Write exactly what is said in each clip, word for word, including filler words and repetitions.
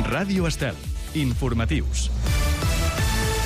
Ràdio Estel. Informatius.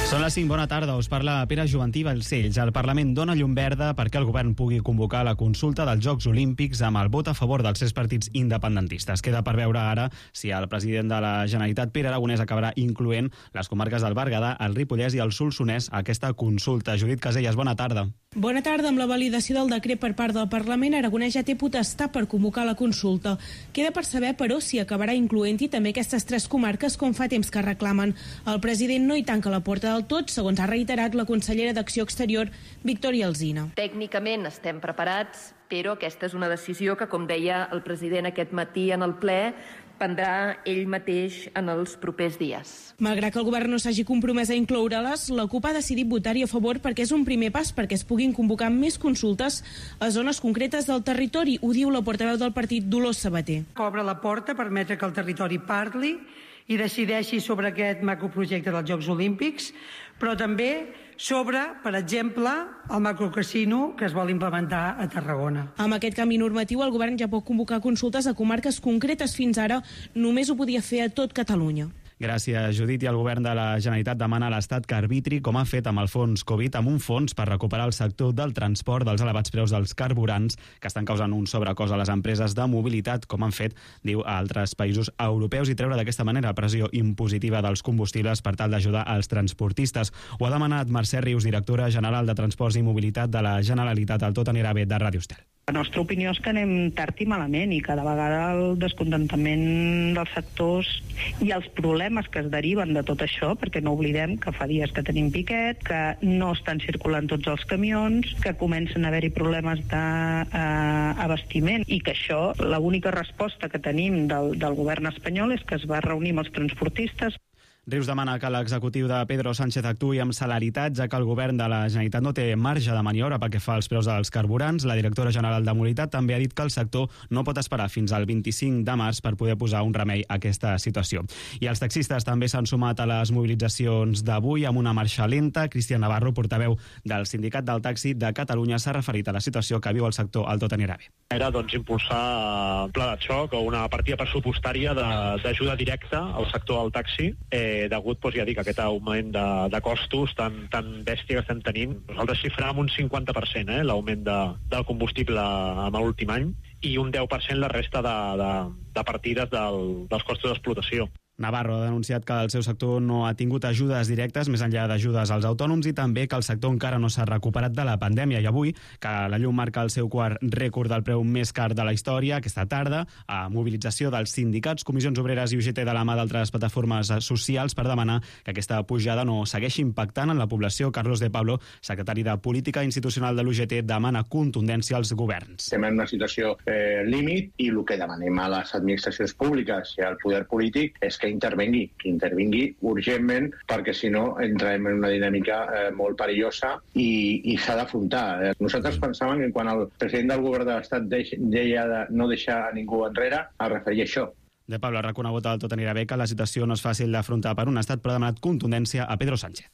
Són les cinc, bona tarda, us parla Pere Juventí Balcells. El Parlament dona llum verda perquè el govern pugui convocar la consulta dels Jocs Olímpics amb el vot a favor dels tres partits independentistes. Queda per veure ara si el president de la Generalitat, Pere Aragonès, acabarà incloent les comarques del Berguedà, el Ripollès i el Solsonès a aquesta consulta. Judit Casellas, bona tarda. Bona tarda. Amb la validació del decret per part del Parlament, Aragonès ja té potestat per convocar la consulta. Queda per saber, però, si acabarà incloent-hi també aquestes tres comarques com fa temps que reclamen. El president no hi tanca la porta del tot, segons ha reiterat la consellera d'Acció Exterior, Victòria Alsina. Tècnicament estem preparats, però aquesta és una decisió que, com deia el president aquest matí en el ple, prendrà ell mateix en els propers dies. Malgrat que el govern no s'hagi compromès a incloure-les, la CUP ha decidit votar-hi a favor perquè és un primer pas perquè es puguin convocar més consultes a zones concretes del territori. Ho diu la portaveu del partit, Dolors Sabater. Obre la porta a permetre que el territori parli i decideixi sobre aquest macroprojecte dels Jocs Olímpics, però també sobre, per exemple, el macrocasino que es vol implementar a Tarragona. Amb aquest canvi normatiu, el govern ja pot convocar consultes a comarques concretes. Fins ara només ho podia fer a tot Catalunya. Gràcies, Judit. I el govern de la Generalitat demana a l'Estat que arbitri, com ha fet amb el fons Covid, amb un fons per recuperar el sector del transport dels elevats preus dels carburants que estan causant un sobrecost a les empreses de mobilitat, com han fet, diu, a altres països europeus, i treure d'aquesta manera pressió impositiva dels combustibles per tal d'ajudar als transportistes. Ho ha demanat Mercè Rius, directora general de Transports i Mobilitat de la Generalitat, al Tot anirà bé de Ràdio Estel. La nostra opinió és que anem tard i malament i cada vegada el descontentament dels sectors i els problemes que es deriven de tot això, perquè no oblidem que fa dies que tenim piquet, que no estan circulant tots els camions, que comencen a haver-hi problemes d'abastiment i que això, l'única resposta que tenim del, del govern espanyol és que es va reunir amb els transportistes. Rius demana que l'executiu de Pedro Sánchez actuï amb celeritat, ja que el govern de la Generalitat no té marge de maniobra pel que fa als preus dels carburants. La directora general de Mobilitat també ha dit que el sector no pot esperar fins al vint-i-cinc de març per poder posar un remei a aquesta situació. I els taxistes també s'han sumat a les mobilitzacions d'avui amb una marxa lenta. Cristian Navarro, portaveu del Sindicat del Taxi de Catalunya, s'ha referit a la situació que viu el sector al Tot anirà bé. Era doncs impulsar un pla de xoc o una partida pressupostària d'ajuda directa al sector del taxi, eh, degut, doncs, ja dic, aquest augment de, de costos tan, tan bèstia que estem tenint. Nosaltres xifràvem un cinquanta per cent eh, l'augment de, del combustible en l'últim any i un deu per cent la resta de, de, de partides del, dels costos d'explotació. Navarro ha denunciat que el seu sector no ha tingut ajudes directes més enllà d'ajudes als autònoms i també que el sector encara no s'ha recuperat de la pandèmia. I avui, que la llum marca el seu quart rècord del preu més car de la història, aquesta tarda, a mobilització dels sindicats, Comissions Obreres i U G T de la mà d'altres plataformes socials per demanar que aquesta pujada no segueixi impactant en la població. Carlos de Pablo, secretari de Política Institucional de l'U G T, demana contundència als governs. Estem en una situació eh, límit i el que demanem a les administracions públiques i al poder polític és que intervengui, que intervingui urgentment, perquè si no entrem en una dinàmica eh, molt perillosa i, i s'ha d'afrontar. Eh, nosaltres pensàvem que quan el president del govern de l'Estat deia de no deixar a ningú enrere, es referia a això. De Pablo ha reconegut al Tot anirà bé que la situació no és fàcil d'afrontar per un estat, però ha demanat contundència a Pedro Sánchez.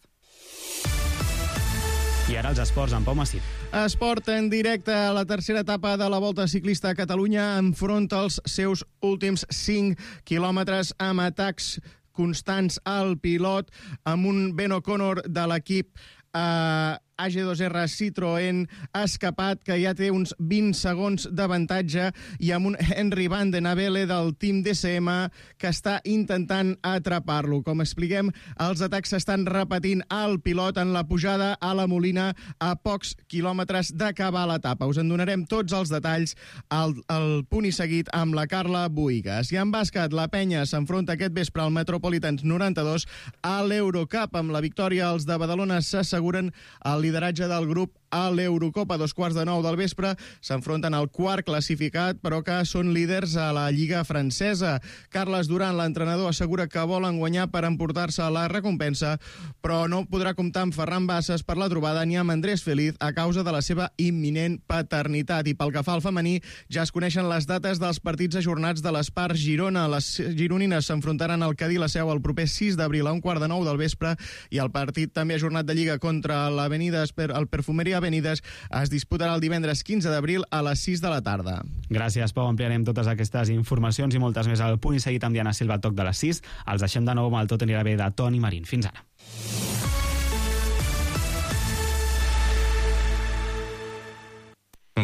I ara els esports amb Pau Massip. Esport en directe a la tercera etapa de la Volta Ciclista a Catalunya enfronta els seus últims cinc quilòmetres amb atacs constants al pilot, amb un Ben O'Connor de l'equip eh, A G dos R Citroën escapat, que ja té uns vint segons d'avantatge, i amb un Henry Van den Abele del Team D C M que està intentant atrapar-lo. Com expliquem, els atacs s'estan repetint al pilot en la pujada a la Molina a pocs quilòmetres d'acabar l'etapa. Us en donarem tots els detalls al, al punt i seguit amb la Carla Buigas. I en bàsquet, la Penya s'enfronta aquest vespre al Metropolitans noranta-dos a l'Eurocup. Amb la victòria, els de Badalona s'asseguren el lideratge del grup a l'Eurocopa. A dos quarts de nou del vespre s'enfronten al quart classificat, però que són líders a la Lliga francesa. Carles Duran, l'entrenador, assegura que volen guanyar per emportar-se la recompensa, però no podrà comptar amb Ferran Bassas per la trobada ni amb Andrés Feliz a causa de la seva imminent paternitat. I pel que fa al femení, ja es coneixen les dates dels partits ajornats de l'Espar Girona. Les gironines s'enfrontaran al Cadí la Seu el proper sis d'abril a un quart de nou del vespre, i el partit també ajornat de Lliga contra l'Avenida el Perfumeria Avenides es disputarà el divendres quinze d'abril a les sis de la tarda. Gràcies, Pau. Ampliarem totes aquestes informacions i moltes més al punt i seguit amb Diana Silva al toc de les sis. Els deixem de nou amb el Tot anirà bé de Toni Marín. Fins ara.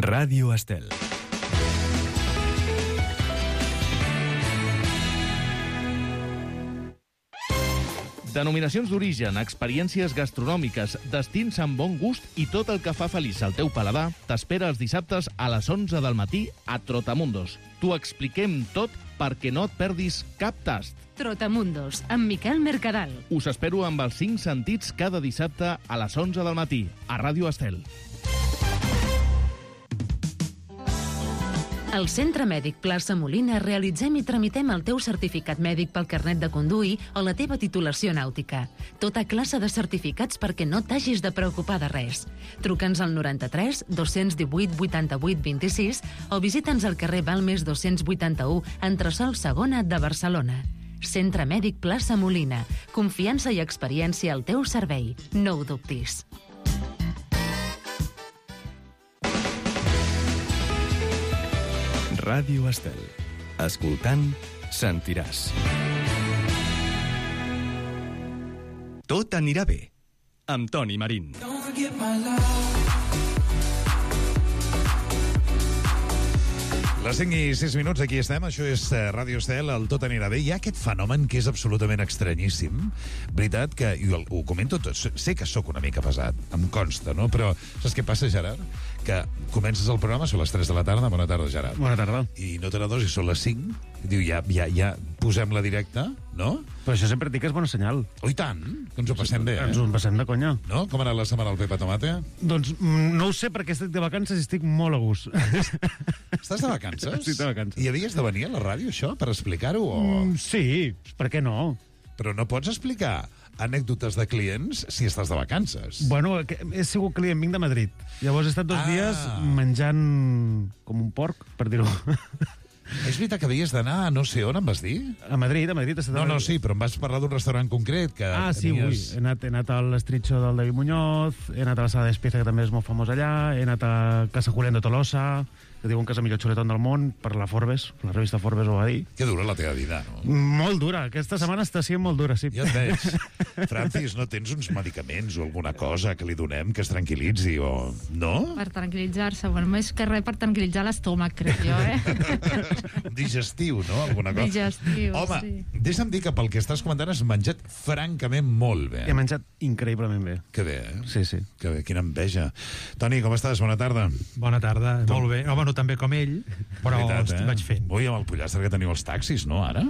Ràdio Estel. Denominacions d'origen, experiències gastronòmiques, destins amb bon gust i tot el que fa feliç al teu paladar t'espera els dissabtes a les onze del matí a Trotamundos. T'ho expliquem tot perquè no et perdis cap tast. Trotamundos, amb Miquel Mercadal. Us espero amb els cinc sentits cada dissabte a les onze del matí a Ràdio Estel. Al Centre Mèdic Plaça Molina realitzem i tramitem el teu certificat mèdic pel carnet de conduir o la teva titulació nàutica. Tota classe de certificats perquè no t'hagis de preocupar de res. Truca'ns al noranta-tres dos-cents divuit vuitanta-vuit vint-i-sis o visita'ns al carrer Balmes dos-cents vuitanta-u, entresòl segona de Barcelona. Centre Mèdic Plaça Molina. Confiança i experiència al teu servei. No ho dubtis. Ràdio Estel. Escoltant, sentiràs. Tot anirà bé. Amb Toni Marín. Les cinc i sis minuts, aquí estem. Això és Ràdio Estel, el Tot anirà bé. Hi ha aquest fenomen que és absolutament estranyíssim. Veritat que, i ho comento tot, sé que sóc una mica pesat, em consta, no? Però saps què passa, Gerard? Que comences el programa, són les tres de la tarda. Bona tarda, Gerard. Bona tarda. I no te n'adones i són les cinc. Diu, ja, ja, ja posem la directa, no? Però això sempre dic que és bon senyal. Oh, i tant, que ens ho passem bé, eh? Ens ho passem de conya. No? Com ha anat la setmana al Pepa Tomate? Doncs no ho sé, perquè estic de vacances i estic molt a gust. Estàs de vacances? Estic de vacances. I havies de venir a la ràdio, això, per explicar-ho? O... Mm, sí, per què no? Però no pots explicar anècdotes de clients si estàs de vacances. Bueno, he sigut client, vinc de Madrid. Llavors he estat dos ah. dies menjant com un porc, per dir-ho. És veritat que havies d'anar a no sé on, em vas dir? A Madrid, a Madrid. No, no, sí, però em vas parlar d'un restaurant concret que Ah, sí, tenies... ui. He anat, he anat al Estritxo del David Muñoz, he anat a la Sala d'Espiza, que també és molt famós allà, he anat a Casa Julián de Tolosa, que diuen que és el millor xuletón del món, per la Forbes, la revista Forbes ho va dir. Que dura la teva vida, no? Molt dura, aquesta setmana està sent molt dura, sí. Ja et veig. Francis, no tens uns medicaments o alguna cosa que li donem que es tranquil·litzi o... No? Per tranquil·litzar-se, bueno, més que res per tranquil·litzar l'estómac, crec jo, eh? Digestiu, no? Alguna cosa. Digestiu, Home, sí. deixa'm dir que pel que estàs comentant has menjat francament molt bé. He menjat increïblement bé. Que bé, eh? Sí, sí. Que bé, quina enveja. Toni, com estàs? Bona tarda. Bona tarda, Tu... molt bé. Home, no tan bé com ell, però Veritat, estic eh? vaig fent. Ui, amb el pollastre que teniu els taxis, no, ara?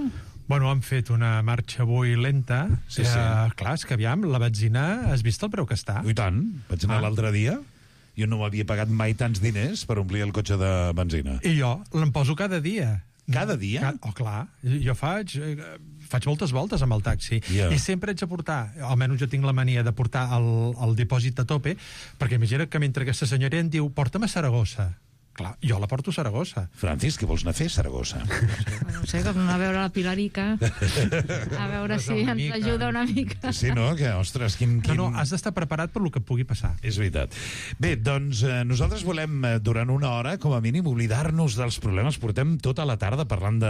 Bueno, han fet una marxa avui lenta. Sí, eh, sí. Clar, és que aviam, la benzina, has vist el preu que està? I tant, vaig anar Ah. l'altre dia. Jo no m'havia pagat mai tants diners per omplir el cotxe de benzina. I jo l'em poso cada dia. Cada dia? Ca- Oh, clar. Jo faig, eh, faig moltes voltes amb el taxi. Ja. I sempre haig de portar, almenys jo tinc la mania de portar el, el dipòsit a tope, perquè imagina que mentre aquesta senyora em diu porta'm a Saragossa. Clar, jo la porto a Saragossa. Francis, què vols anar a fer a Saragossa? No sé, com a veure la Pilarica, a veure Pues si una ens mica. ajuda una mica. Sí, no? Que, ostres, quin... quin... No, no, has d'estar preparat per lo que pugui passar. És veritat. Bé, doncs eh, nosaltres volem, eh, durant una hora, com a mínim, oblidar-nos dels problemes. Portem tota la tarda parlant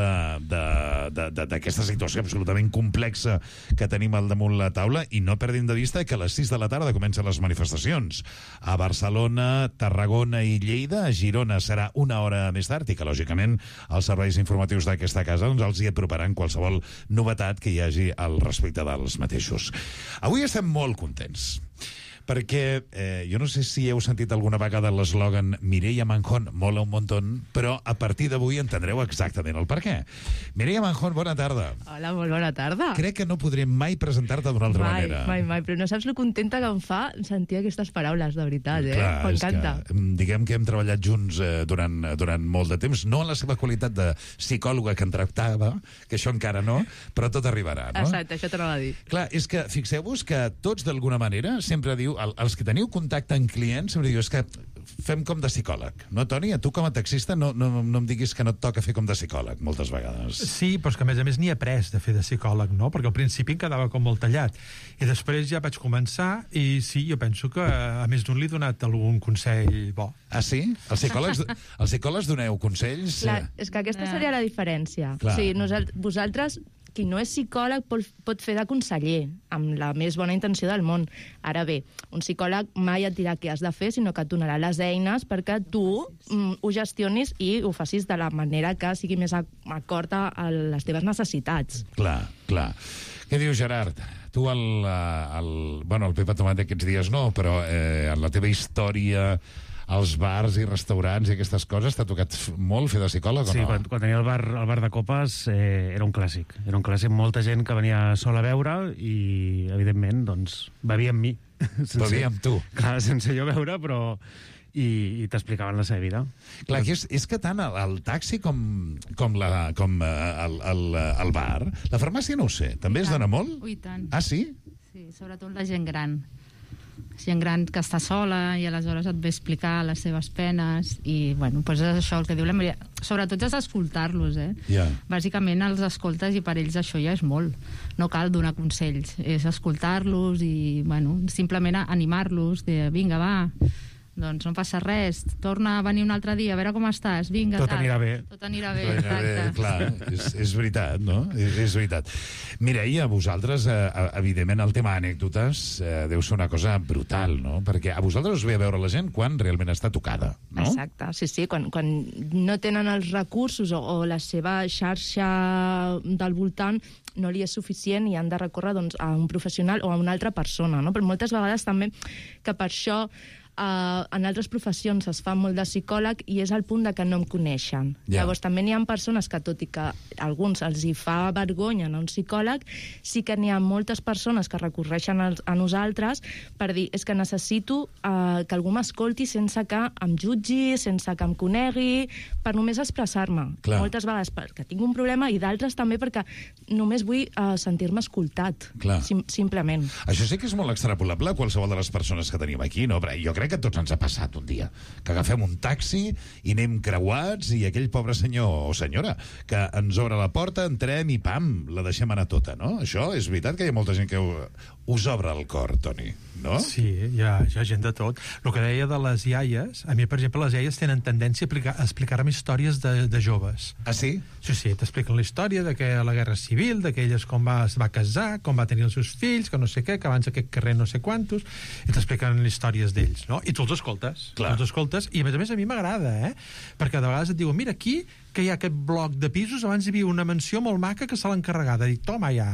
d'aquesta situació absolutament complexa que tenim al damunt la taula i no perdin de vista que a les sis de la tarda comencen les manifestacions. A Barcelona, Tarragona i Lleida, a Girona serà una hora més tard i que, lògicament, els serveis informatius d'aquesta casa doncs, els hi aproparan qualsevol novetat que hi hagi al respecte dels mateixos. Avui estem molt contents perquè eh, jo no sé si heu sentit alguna vegada l'eslògan Mireia Manjón mola un montón, però a partir d'avui entendreu exactament el per què. Mireia Manjón, bona tarda. Hola, molt bona tarda. Crec que no podré mai presentar-te d'una altra mai, manera. Mai, mai, però no saps lo contenta que em fa sentir aquestes paraules, de veritat, eh? Clar, és M'encanta. que, mm, diguem que hem treballat junts eh, durant, durant molt de temps, no en la seva qualitat de psicòloga que en tractava, que això encara no, però tot arribarà, no? Exacte, això t'anava a dir. Clar, és que fixeu-vos que tots d'alguna manera sempre diu, el, els que teniu contacte amb clients sempre diu, és que fem com de psicòleg, no, Toni? A tu com a taxista no, no, no em diguis que no et toca fer com de psicòleg, moltes vegades. Sí, però és que a més a més n'hi he après de fer de psicòleg, no? Perquè al principi em quedava com molt tallat. I després ja vaig començar i sí, jo penso que a més d'un li he donat algun consell bo. Ah, sí? Els psicòlegs, els psicòlegs doneu consells? Clar, és que aquesta seria la diferència. Clar. O sigui, nosaltres, vosaltres, qui no és psicòleg pot, pot fer de conseller, amb la més bona intenció del món. Ara bé, un psicòleg mai et dirà què has de fer, sinó que et donarà les eines perquè tu mm, ho gestionis i ho facis de la manera que sigui més acord a les teves necessitats. Clar, clar. Què diu Gerard? Tu, el, el, bueno, el Pepa Tomat aquests dies no, però eh, en la teva història als bars i restaurants i aquestes coses, t'ha tocat molt fer de psicòleg o no? Sí, quan, quan tenia el bar, el bar de copes eh, era un clàssic. Era un clàssic, molta gent que venia sola a beure i, evidentment, doncs, bevia amb mi. Sense, bevia amb tu. Clar, sense jo beure, però... i, i t'explicaven la seva vida. Clar, que és, és que tant el, el taxi com, com, la, com el, el, el bar, la farmàcia no ho sé, també es dona molt? Ui, tant. Ah, sí? Sí, sobretot la gent gran. Gent gran que està sola i aleshores et ve explicar les seves penes i, bueno, doncs és això el que diu la Maria. Sobretot és escoltar-los, eh? Yeah. Bàsicament els escoltes i per ells això ja és molt. No cal donar consells, és escoltar-los i, bueno, simplement animar-los, de vinga, va, doncs no passa res, torna a venir un altre dia, a veure com estàs, vinga, tot anirà bé. Tot anirà bé, Tot anirà bé, clar, és, és veritat, no? És, és veritat. Mireia, a vosaltres, eh, evidentment, el tema anècdotes eh, deu ser una cosa brutal, no? Perquè a vosaltres us ve a veure la gent quan realment està tocada, no? Exacte, sí, sí, quan, quan no tenen els recursos o, o la seva xarxa del voltant no li és suficient i han de recórrer doncs, a un professional o a una altra persona, no? Però moltes vegades també que per això Uh, en altres professions es fa molt de psicòleg i és el punt de que no em coneixen. Yeah. Llavors també n'hi ha persones que, tot i que a alguns els hi fa vergonya anar a un psicòleg, sí que n'hi ha moltes persones que recorreixen a, a nosaltres per dir, és que necessito uh, que algú m'escolti sense que em jutgi, sense que em conegui, per només expressar-me. Clar. Moltes vegades perquè tinc un problema i d'altres també perquè només vull uh, sentir-me escoltat, sim simplement. Això sí que és molt extrapolable a qualsevol de les persones que tenim aquí, no? Però jo crec que a tots ens ha passat un dia, que agafem un taxi i anem creuats i aquell pobre senyor o senyora que ens obre la porta, entrem i pam, la deixem anar tota, no? Això és veritat que hi ha molta gent que us obre el cor, Toni, no? Sí, hi ha, hi ha gent de tot. El que deia de les iaies, a mi, per exemple, les iaies tenen tendència a, aplicar, a explicar-me històries de, de joves. Ah, sí? Sí, sí, t'expliquen la història de que la Guerra Civil, d'aquelles com va, es va casar, com va tenir els seus fills, que no sé què, que abans aquest carrer no sé quantos, i t'expliquen històries d'ells, no? I tu els escoltes. Clar. Els escoltes, i a més a més a mi m'agrada, eh? Perquè de vegades et diuen, mira, aquí, que hi ha aquest bloc de pisos, abans hi havia una mansió molt maca que se l'ha encarregada. I toma, ja...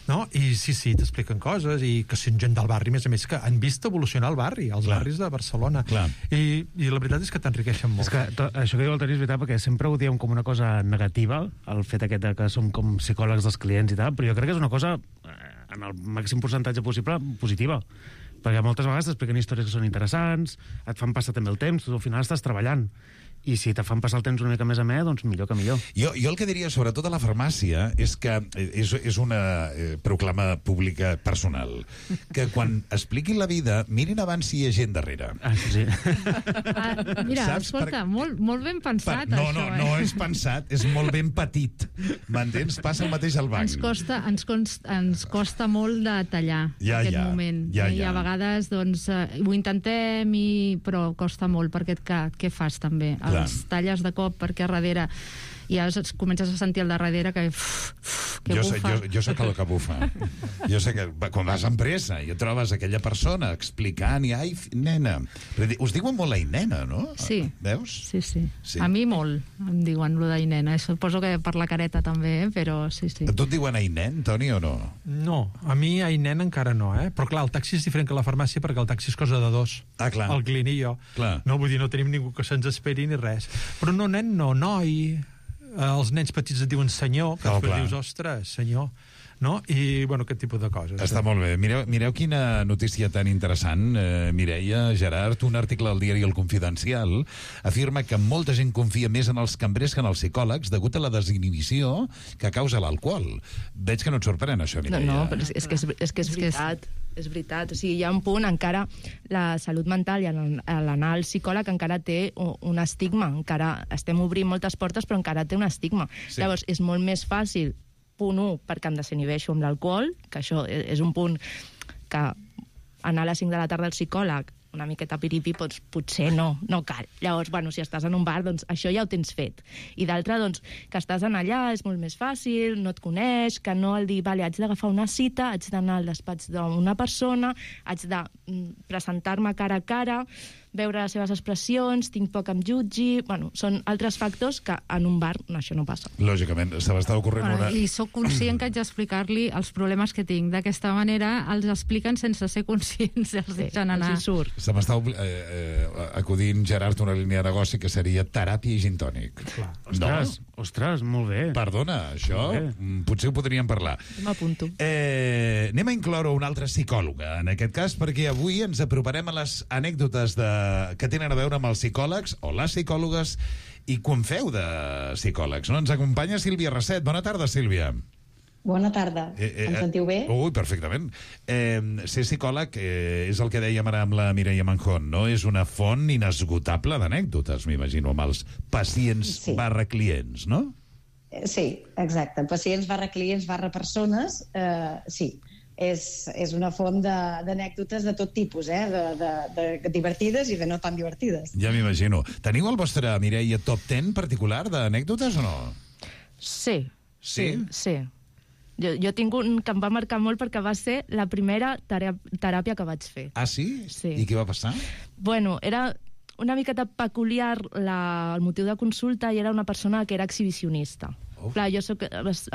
No? I sí, sí, t'expliquen coses i que són gent del barri, a més a més, que han vist evolucionar el barri, els Clar. barris de Barcelona. Clar. I, I la veritat és que t'enriqueixen molt. És que to, això que diu el Toni és veritat, perquè sempre ho diem com una cosa negativa, el fet aquest de que som com psicòlegs dels clients i tal, però jo crec que és una cosa, en el màxim percentatge possible, positiva. Perquè moltes vegades t'expliquen històries que són interessants, et fan passar també el temps, tu al final estàs treballant. I si te fan passar el temps una mica més a més, doncs millor que millor. Jo, jo el que diria, sobretot a la farmàcia, és que és, és una eh, proclama pública personal, que quan expliquin la vida, mirin abans si hi ha gent darrere. Ah, sí. Ah, mira, Saps? escolta, Per- molt, molt ben pensat, no, això, no, eh? no és pensat, és molt ben petit. M'entens? Passa el mateix al banc. Ens costa, ens, const, ens costa molt de tallar Ja, aquest ja, moment. ja, I ja. a vegades doncs, eh, ho intentem, i, però costa molt, perquè què, què fas també? Clar. Els talles de cop perquè a darrere ja es, comences a sentir el de darrere que, uf, uf, que jo, sé, bufa. jo, jo sé que el que bufa. Jo sé que quan vas amb pressa i et trobes aquella persona explicant i ai, nena. Però di- us diuen molt ai, nena, no? Sí. Veus? Sí, sí, Sí. A mi molt em diuen lo d'ai nena. Suposo que per la careta també, eh? Però sí, sí. A tu et diuen ai, nen, Toni, o no? No, a mi, ai, nen, encara no, eh? Però clar, el taxi és diferent que la farmàcia perquè el taxi és cosa de dos. Ah, clar. El client i jo. Clar. No, vull dir, no tenim ningú que se'ns esperi ni res. Però no, nen, no, noi. Eh, els nens petits et diuen senyor, que Oh, després clar. dius, ostres, senyor. no? I, bueno, aquest tipus de coses. Està molt bé. Mireu, mireu quina notícia tan interessant, eh, Mireia, Gerard. Un article al diari El Confidencial afirma que molta gent confia més en els cambrers que en els psicòlegs degut a la desinhibició que causa l'alcohol. Veig que no et sorprèn, això, Mireia. No, no, però és, és, que, és, és que és veritat. És veritat. O sigui, hi ha un punt, encara la salut mental i l'anar al psicòleg encara té un estigma. Encara estem obrint moltes portes, però encara té un estigma. Sí. Llavors, és molt més fàcil, punt un, perquè em desinhibeixo amb l'alcohol, que això és un punt que anar a les cinc de la tarda al psicòleg, una miqueta piripi, doncs potser no, no cal. Llavors, bueno, si estàs en un bar, doncs això ja ho tens fet. I d'altre, doncs, que estàs en allà, és molt més fàcil, no et coneix, que no el dir, vale, haig d'agafar una cita, haig d'anar al despatx d'una persona, haig de presentar-me cara a cara, veure les seves expressions, tinc poc em jutgi... Bueno, són altres factors que en un bar això no passa. Lògicament, se m'està ocorrent bueno, una... I sóc conscient que haig d'explicar-li els problemes que tinc. D'aquesta manera els expliquen sense ser conscients, els deixen anar. Sí, surt. Se m'està eh, eh, acudint, Gerard, una línia de negoci que seria teràpia i gin tònic. Ostres, no? ostres, molt bé. Perdona, això potser ho podríem parlar. M'apunto. Eh, anem a incloure una altra psicòloga, en aquest cas, perquè avui ens aproparem a les anècdotes de que tenen a veure amb els psicòlegs o les psicòlogues i quan feu de psicòlegs, no? Ens acompanya Sílvia Rasset. Bona tarda, Sílvia. Bona tarda. Eh, eh, em sentiu bé? Ui, perfectament. Eh, ser psicòleg eh, és el que dèiem ara amb la Mireia Manjón, no? És una font inesgotable d'anècdotes, m'imagino, amb els pacients sí. barra clients, no? Sí, exacte. Pacients barra clients barra persones, eh, sí. És, és una font d'anècdotes de, de tot tipus, eh? de, de, de divertides i de no tan divertides. Ja m'imagino. Teniu el vostre, Mireia, top ten particular d'anècdotes o no? Sí. Sí? Sí. sí. Jo, jo tinc un que em va marcar molt perquè va ser la primera teràpia que vaig fer. Ah, sí? Sí. I què va passar? Bueno, era una miqueta peculiar la, el motiu de consulta i era una persona que era exhibicionista. Clar, jo soc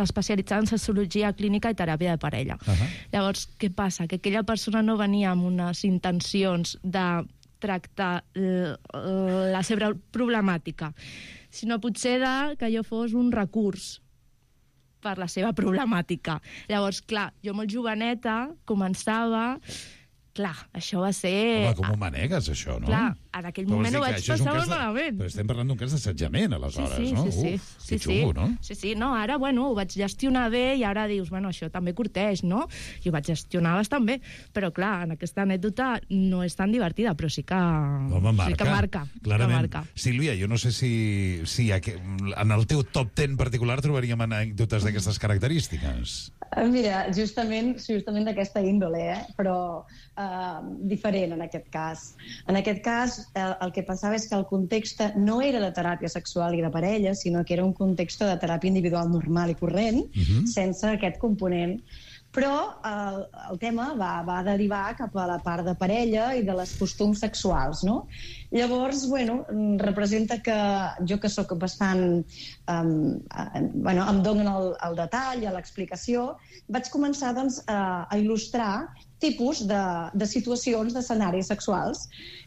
especialitzada en sociologia clínica i teràpia de parella. Uh -huh. Llavors, què passa? Que aquella persona no venia amb unes intencions de tractar la seva problemàtica, sinó potser de que jo fos un recurs per la seva problemàtica. Llavors, clar, jo molt joveneta començava... Clar, això va ser... Home, com ho manegues, això, no? Clar, en aquell però moment ho vaig passar molt malament. Però estem parlant d'un cas d'assetjament, aleshores, sí, sí, no? Sí, sí, Uf, sí. que xungo, no? Sí, sí, no, ara, bueno, ho vaig gestionar bé i ara dius, bueno, això també curteix, no? I ho vaig gestionar bastant bé, però clar, en aquesta anècdota no és tan divertida, però sí que, Home, marca, sí que marca. Clarament. Que marca. Sílvia, jo no sé si, si en el teu top ten particular trobaríem anècdotes d'aquestes característiques. Mira, justament, justament d'aquesta índole, eh? però eh, diferent en aquest cas. En aquest cas, el, el que passava és que el context no era de teràpia sexual i de parella, sinó que era un context de teràpia individual normal i corrent, uh-huh. sense aquest component. Però el, el tema va, va derivar cap a la part de parella i de les costums sexuals, no? Llavors, bueno, representa que jo que sóc bastant... Um, bueno, em donen el, el detall, l'explicació, vaig començar doncs, a, a il·lustrar tipus de, de situacions, d'escenaris sexuals,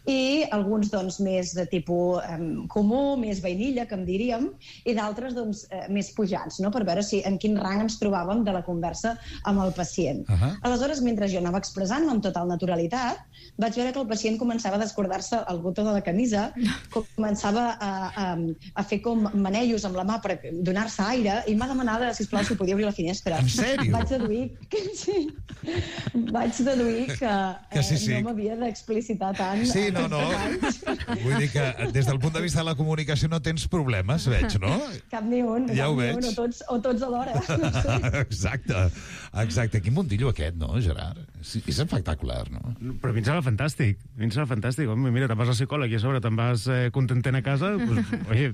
i alguns doncs, més de tipus um, comú, més vainilla, que en diríem, i d'altres doncs, eh, més pujats, no? Per veure si en quin rang ens trobàvem de la conversa amb el pacient. Uh -huh. Aleshores, mentre jo anava expressant-me amb total naturalitat, vaig veure que el pacient començava a descordar-se el botó de la camisa, començava a, a, a fer com manellos amb la mà per donar-se aire, i m'ha demanat, sisplau, si podia obrir la finestra. En sèrio? Vaig deduir que, sí, vaig deduir que, que sí, sí. eh, no m'havia d'explicitar tant. Sí, no, no. Vull dir que des del punt de vista de la comunicació no tens problemes, veig, no? Cap ni un. Ja ho veig. Un, o, tots, o tots alhora. No sé. Exacte. Exacte. Quin mundillo aquest, no, Gerard? Sí, és espectacular, no? Però a mi em sembla fantàstic. A mi em sembla fantàstic. Home, mira, te'n vas al psicòleg i a sobre te'n vas eh, contentent a casa, pues, oye,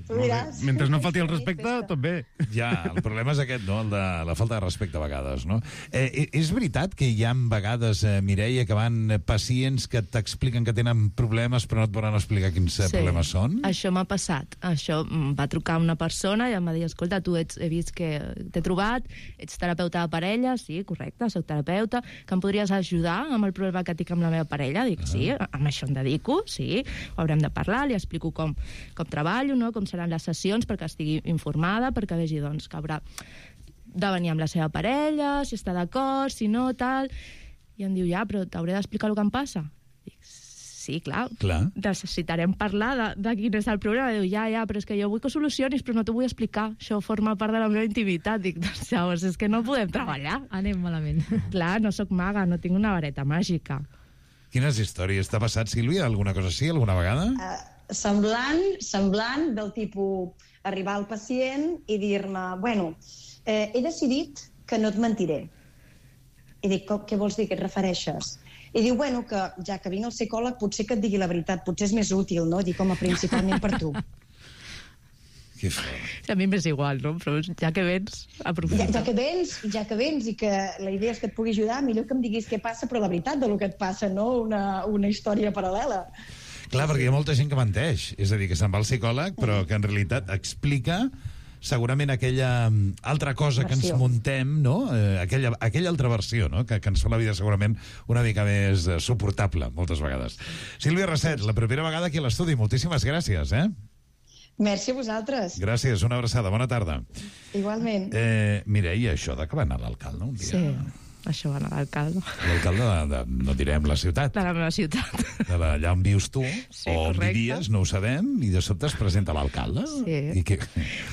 mentre no falti el respecte, tot bé. Ja, el problema és aquest, no? El de la falta de respecte a vegades, no? Eh, és veritat que hi ha vegades, eh, Mireia, que van pacients que t'expliquen que tenen problemes però no et volen explicar quins sí, problemes són? Això m'ha passat. Això va trucar una persona i em va dir, escolta, tu ets, he vist que t'he trobat, ets terapeuta de parella, sí, correcte, soc terapeuta, que em podries ajudar amb el problema que tinc amb la meva parella? Dic, uh -huh. sí, amb això em dedico, sí, ho haurem de parlar, li explico com, com treballo, no? Com seran les sessions perquè estigui informada, perquè vegi doncs, que haurà de venir amb la seva parella, si està d'acord, si no, tal... I em diu, ja, però t'hauré d'explicar el que em passa? Dic, sí, clar, clar. necessitarem parlar de, de quin és el problema. Diu, ja, ja, però és que jo vull que solucionis, però no t'ho vull explicar. Això forma part de la meva intimitat. Dic, doncs llavors és que no podem treballar. Anem malament. Clar, no sóc maga, no tinc una vareta màgica. Quines històries? T'ha passat, Sílvia, alguna cosa així, alguna vegada? Uh, semblant, semblant del tipus arribar al pacient i dir-me, bueno, eh, he decidit que no et mentiré. I dic, què vols dir, què et refereixes? I diu, bueno, que ja que vinc al psicòleg potser que et digui la veritat, potser és més útil, no? Dic, home, principalment per tu. Que fort. A mi m'és igual, no? Però ja que vens, aprofita. Ja, ja que vens, ja que vens i que la idea és que et pugui ajudar, millor que em diguis què passa, però la veritat del que et passa, no una, una història paral·lela. Clar, perquè hi ha molta gent que menteix. És a dir, que se'n va al psicòleg, però que en realitat explica segurament aquella altra cosa versió. Que ens muntem, no? Eh, aquella, aquella altra versió, no? Que, que ens fa la vida segurament una mica més eh, suportable, moltes vegades. Sílvia Raset, la propera vegada aquí a l'estudi. Moltíssimes gràcies, eh? Merci a vosaltres. Gràcies, una abraçada. Bona tarda. Igualment. Eh, Mireia, això de que va anar l'alcalde un dia... Sí. Això va anar a l'alcalde. L'alcalde de, de, no direm la ciutat. De la meva ciutat. De la, allà on vius tu, sí, o on correcte. vivies, no ho sabem, i de sobte es presenta l'alcalde. Sí. I que...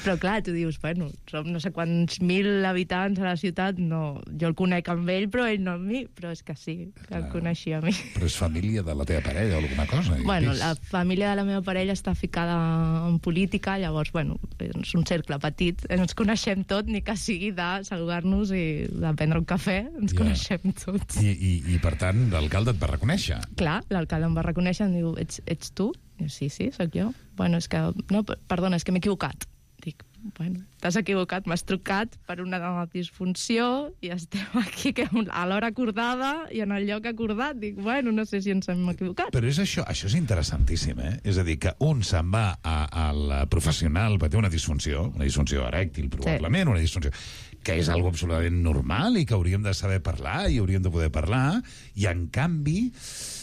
Però clar, tu dius, bueno, som no sé quants mil habitants a la ciutat, no, jo el conec amb ell, però ell no amb mi, però és que sí, que el coneixia a mi. Però és família de la teva parella o alguna cosa? Bueno, la família de la meva parella està ficada en política, llavors, bueno, és un cercle petit, ens coneixem tot, ni que sigui de saludar-nos i de prendre un cafè, ens yeah. coneixem tots. I, i, i per tant, l'alcalde et va reconèixer? Clar, l'alcalde em va reconèixer, em diu, ets, ets tu? I jo, sí, sí, sóc jo. Bueno, és que, no, perdona, és que m'he equivocat. Dic, bueno, t'has equivocat, m'has trucat per una disfunció i estem aquí que a l'hora acordada i en el lloc acordat. Dic, bueno, no sé si ens hem equivocat. Però és això, això és interessantíssim, eh? És a dir, que un se'n va a, al professional per tenir una disfunció, una disfunció erèctil, probablement, sí. una disfunció que és algo absolutament normal i que hauríem de saber parlar i hauríem de poder parlar, i en canvi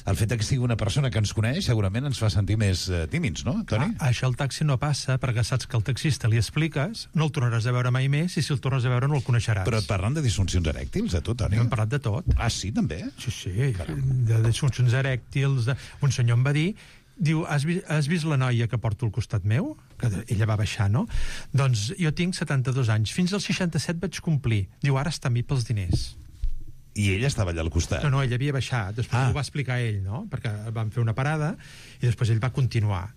el fet que sigui una persona que ens coneix segurament ens fa sentir més eh, tímids, no, Toni? Ah, això al taxi no passa, perquè saps que al taxista li expliques, no el tornaràs a veure mai més, i si el tornes a veure no el coneixeràs. Però et parlen de disfuncions erèctils, a tu, Toni? Hem parlat de tot. Ah, sí, també? Sí, sí, de disfuncions erèctils. De... Un senyor em va dir, diu, has vist, has vist la noia que porto al costat meu? Que ella va baixar, no? Doncs jo tinc setanta-dos anys. Fins als seixanta-set vaig complir. Diu, ara està amb mi pels diners. I ella estava allà al costat? No, no, ell havia baixat. Després ah. ho va explicar ell, no? Perquè vam fer una parada i després ell va continuar.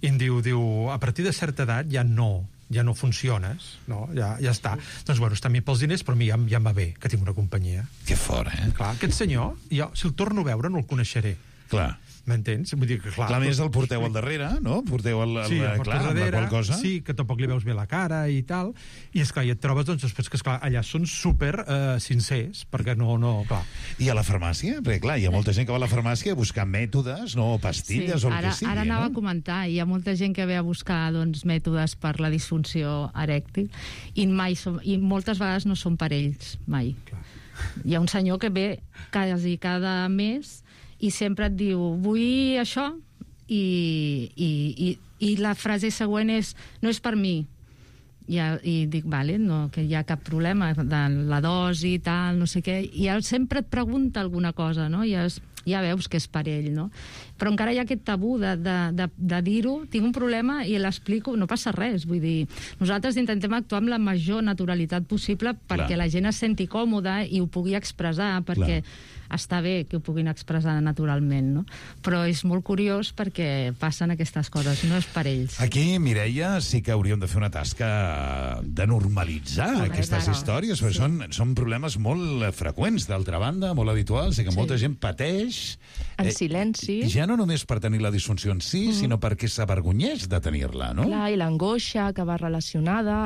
I em diu, diu, a partir de certa edat ja no, ja no funciones, no? Ja, ja està. Doncs, bueno, està amb mi pels diners, però a mi ja, ja em va bé, que tinc una companyia. Que fort, eh? Clar, aquest senyor, jo, si el torno a veure, no el coneixeré. Clar. M'entens? Vull dir que, clar... Clar, més el porteu al darrere, no? Porteu el, el, sí, el clar, darrere, la qual cosa. Sí, que tampoc li veus bé la cara i tal. I, esclar, i et trobes, doncs, després que, esclar, allà són super eh, sincers, perquè no, no, clar... I a la farmàcia? Perquè, clar, hi ha molta gent que va a la farmàcia a buscar mètodes, no, pastilles sí, o el ara, que sigui, ara anava no? a comentar, hi ha molta gent que ve a buscar, doncs, mètodes per la disfunció erèctil, i, mai som, i moltes vegades no són per ells, mai. Clar. Hi ha un senyor que ve quasi cada mes i sempre et diu, vull això, i, i, i, i la frase següent és, no és per mi. I, i dic, vale, no, que hi ha cap problema de la dosi i tal, no sé què, i ell sempre et pregunta alguna cosa, no? I es, ja veus que és per ell, no? Però encara hi ha aquest tabú de, de, de, de dir-ho, tinc un problema i l'explico, no passa res, vull dir, nosaltres intentem actuar amb la major naturalitat possible perquè Clar. La gent es senti còmoda i ho pugui expressar, perquè Clar. Està bé que ho puguin expressar naturalment, no? Però és molt curiós perquè passen aquestes coses, no és per ells. Aquí, Mireia, sí que hauríem de fer una tasca de normalitzar no, aquestes no. històries, perquè sí. són, són problemes molt freqüents, d'altra banda, molt habituals, i que sí. molta gent pateix... En eh, silenci. Ja no només per tenir la disfunció en si, mm. sinó perquè s'avergonyeix de tenir-la, no? Clar, i l'angoixa que va relacionada,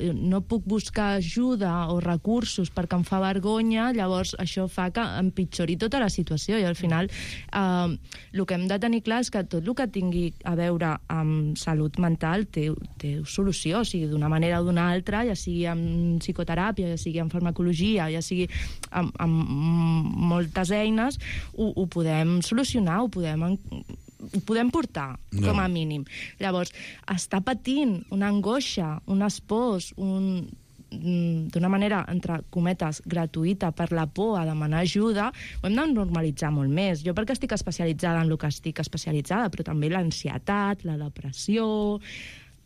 el, no puc buscar ajuda o recursos perquè em fa vergonya, llavors això fa que empitjori tota la situació, i al final eh, el que hem de tenir clar és que tot el que tingui a veure amb salut mental té, té solució, o sigui, d'una manera o d'una altra, ja sigui amb psicoteràpia, ja sigui amb farmacologia, ja sigui amb, amb moltes eines, ho, ho podem solucionar, ho podem, ho podem portar, no. com a mínim. Llavors, està patint una angoixa, un espòs, un... d'una manera, entre cometes, gratuïta per la por a demanar ajuda, ho hem de normalitzar molt més. Jo perquè estic especialitzada en el que estic especialitzada, però també l'ansietat, la depressió,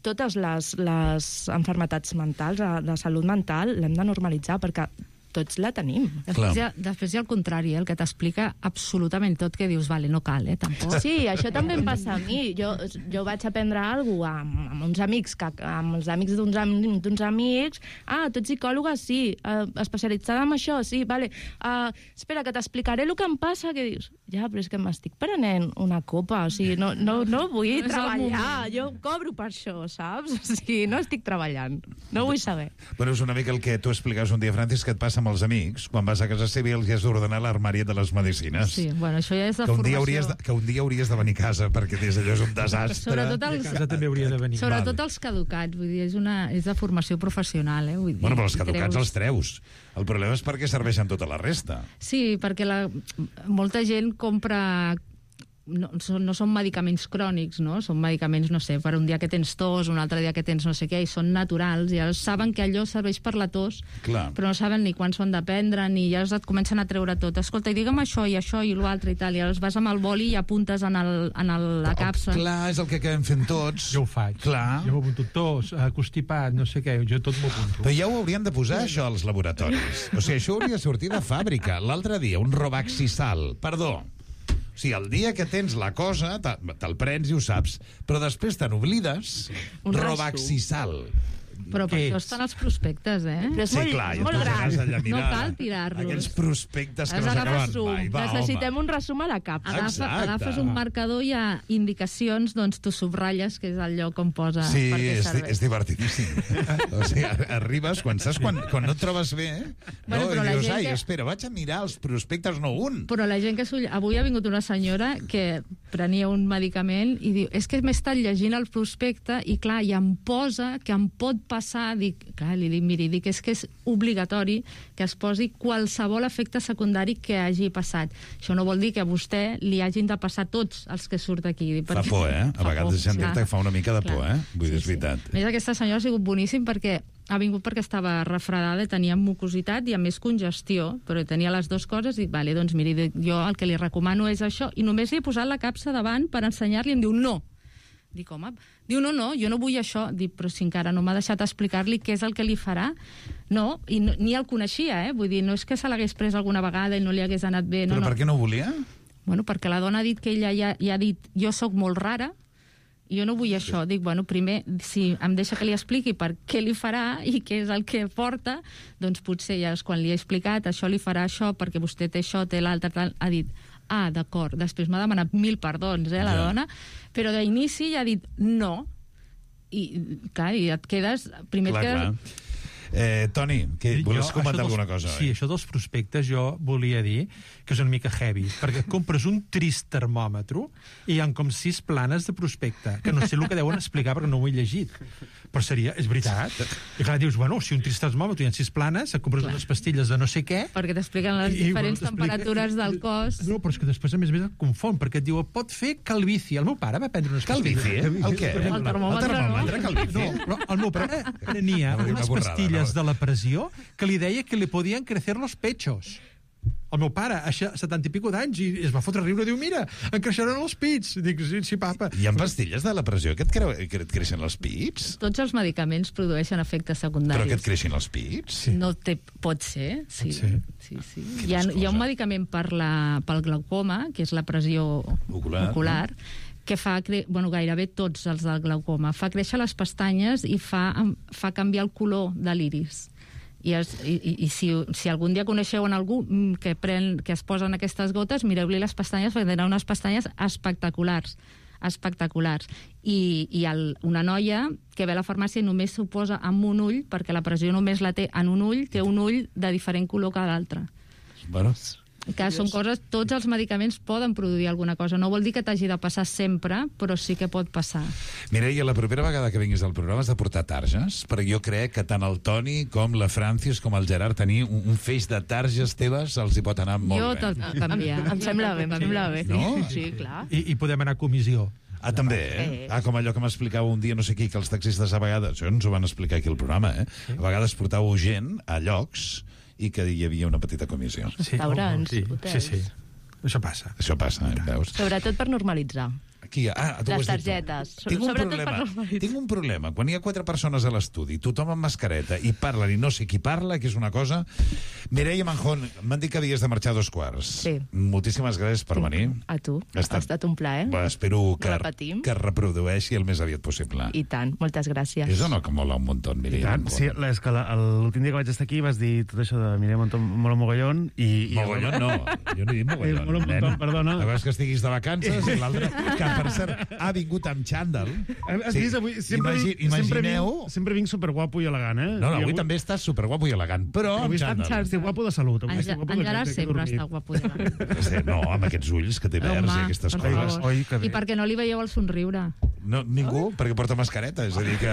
totes les, les enfermetats mentals, de salut mental, l'hem de normalitzar perquè tots la tenim. Després hi ha, després hi ha el contrari, eh? El que t'explica absolutament tot, que dius, vale, no cal, eh, tampoc. Sí, això també em passa a mi. Jo, jo vaig aprendre alguna cosa amb, amb uns amics, que, amb els amics d'uns d'uns amics. Ah, tu ets psicòloga? Sí. Uh, especialitzada en això? Sí, vale. Uh, espera, que t'explicaré el que em passa, que dius, ja, però és que m'estic prenent una copa, o sigui, no, no, no vull no treballar, jo cobro per això, saps? O sigui, no estic treballant, no vull saber. Bueno, és una mica el que tu explicaves un dia, Francis, que et passa amb els amics, quan vas a casa seva i els has d'ordenar l'armari de les medicines. Sí, bueno, això ja és de que un formació. Dia hauries de, que un dia hauries de venir a casa, perquè des d'allò és un desastre. Sobretot els, a casa també hauria de venir. Sobretot vale. els caducats, vull dir, és, una, és de formació professional, eh? Vull dir, Bueno, però els caducats creus... els treus. El problema és perquè serveixen tota la resta. Sí, perquè la, molta gent compra... No, són, no són medicaments crònics, no? Són medicaments, no sé, per un dia que tens tos, un altre dia que tens no sé què, i són naturals, i llavors saben que allò serveix per la tos, Clar. però no saben ni quan s'ho han de prendre, ni llavors et comencen a treure tot. Escolta, i digue'm això, i això, i l'altre, i tal, i llavors vas amb el boli i apuntes en, el, en el, la capsa. Clar, és el que acabem fent tots. Jo ho faig. Clar. Jo m'apunto tos, constipat, no sé què, jo tot m'ho apunto. Però ja ho haurien de posar, això, als laboratoris. O sigui, això hauria de sortir de fàbrica. L'altre dia, un Robaxisal, perdó. O sigui, el dia que tens la cosa, te'l prens i ho saps, però després te n'oblides, Robaxisal. Però per això estan els prospectes, eh? Però és sí, molt, clar, molt gran. No cal tirar-los. Aquells prospectes que Has no s'acaben resum. mai. Va, Necessitem home. un resum a la capsa. Agafa, agafes un marcador i hi ha indicacions, doncs tu subratlles, que és el lloc on posa Sí, per què és, serveix. és divertidíssim. O sigui, arribes, quan saps, quan, quan no et trobes bé, eh? Bueno, no, però i la dius, gent ai, que- espera, vaig a mirar els prospectes, no un. Però la gent que s'ho... Avui ha vingut una senyora que prenia un medicament i diu, és que m'he estat llegint el prospecte i clar, i em posa que em pot passar, dic, clar, li dic, miri, dic, és que és obligatori que es posi qualsevol efecte secundari que hagi passat. Això no vol dir que a vostè li hagin de passar tots els que surt aquí. Dic, Fa perquè- por, eh? A Fa vegades por, sentir-te clar. que fa una mica de por, Clar. eh? Vull dir, és veritat. A més, aquesta senyora ha sigut boníssim perquè ha vingut perquè estava refredada, tenia mucositat i a més congestió, però tenia les dues coses i dic, vale, doncs miri, dic, jo el que li recomano és això, i només li he posat la capsa davant per ensenyar-li i em diu no. Dic, home, diu, no, no, jo no vull això. Dic, però si encara no m'ha deixat explicar-li què és el que li farà. No, i no, ni el coneixia, eh? Vull dir, no és que se l'hagués pres alguna vegada i no li hagués anat bé. No, Però no. per què no ho volia? Bueno, perquè la dona ha dit que ella ja, ja ha dit, jo sóc molt rara, jo no vull això. Dic, bueno, primer, si em deixa que li expliqui per què li farà i què és el que porta, doncs potser ja és quan li he explicat, això li farà això, perquè vostè té això, té l'altre, tal, ha dit, ah, d'acord, després m'ha demanat mil perdons, eh, la Ja. dona, però d'inici ja ha dit no, i clar, i et quedes... Primer Clar, et quedes... clar. Eh, Toni, que volies Jo, comentar això dels- alguna cosa? Sí, oi? això dels prospectes jo volia dir que és una mica heavy, perquè compres un trist termòmetre i hi ha com sis planes de prospecte, que no sé el que deuen explicar perquè no ho he llegit. Però seria, és veritat. I clar, dius, bueno, si un trist termòmetre hi ha sis planes, et compres Clar. unes pastilles de no sé què... Perquè t'expliquen les i, diferents bueno, t'explica- temperatures del cos. No, però és que després, a més a més, et confon, perquè et diu, pot fer calvici. El meu pare va prendre unes Calvici? pastilles. El què? Per exemple, El termòmetre, El termòmetre, calvici? no, però el meu pare prenia No, una unes borrada, pastilles no. de la pressió que li deia que li podien crecer los pechos. El meu pare, a setanta i pico d'anys, i es va fotre a riure, diu, mira, em creixeran els pits. Dic, sí, sí, papa. Hi ha pastilles de la pressió que et, creu, que et creixen els pits? Tots els medicaments produeixen efectes secundaris. Però que et creixin els pits? Sí. No té, pot ser, sí. Pot ser. sí, sí. Hi, ha, hi ha un medicament per la, pel glaucoma, que és la pressió Ocular, ocular que fa, cre... bueno, gairebé tots els del glaucoma, fa créixer les pestanyes i fa, fa canviar el color de l'iris. I, es, i, i si, si algun dia coneixeu en algú que, pren, que es posen aquestes gotes, mireu-li les pestanyes, perquè tenen unes pestanyes espectaculars espectaculars. I, i el, una noia que ve a la farmàcia i només s'ho posa amb un ull, perquè la pressió només la té en un ull, té un ull de diferent color que l'altre. Bueno, Que són coses, tots els medicaments poden produir alguna cosa. No vol dir que t'hagi de passar sempre, però sí que pot passar. Mireia, la propera vegada que vinguis al programa has de portar targes, perquè jo crec que tant el Toni com la Francis com el Gerard tenir un, un feix de targes teves els hi pot anar molt Jo bé. te'l puc canviar. Em sembla bé, em sembla bé. No? Sí, clar. I, I podem anar a comissió. Ah, també, eh? Sí. Ah, com allò que m'explicava un dia no sé qui, que els taxistes a vegades, això ens ho van explicar aquí al programa, eh? A vegades portàveu gent a llocs i que hi havia una petita comissió. Sí, Restaurants, sí, hotels. sí, sí. Això passa. Això passa, eh? Veus? Sobretot per normalitzar. Aquí, ah, tu ho Les has dit tu. targetes. Tinc un, Sobretot per problema, normalitzar. tinc un problema. Quan hi ha quatre persones a l'estudi, tothom amb mascareta, i parlen i no sé qui parla, que és una cosa... Mireia Manjón, m'han dit que havies de marxar a dos quarts. Sí. Moltíssimes gràcies per venir. A tu. Ha estat- Ha estat un plaer. Va, espero que, Repetim. que es reprodueixi el més aviat possible. I tant. Moltes gràcies. És o no que mola un muntó, I Mireia tant, Manjón? sí, la- és que la- l'últim dia que vaig estar aquí vas dir tot això de Mireia Montón, mola mogollón i... i Mogollón no, jo no he dit mogollón. Eh, mola un nen. montón, perdona. La vegada que estiguis de vacances i l'altre, que per cert ha vingut amb xandall. Has vist, avui sempre, Imagi, vinc, sempre, imagineu... vinc, sempre vinc superguapo i elegant, eh? No, no, I avui també estàs superguapo i elegant, però amb Avui xandall. estic guapo de salut. Avui En, estic guapo de en Gerard que- que he sempre dormit. està guapo. Ja. Sí, no, amb aquests ulls que té verds i aquestes per coses. favor. Oi, que bé. I perquè no li veieu el somriure. No, ningú, perquè porta mascareta. És a dir que...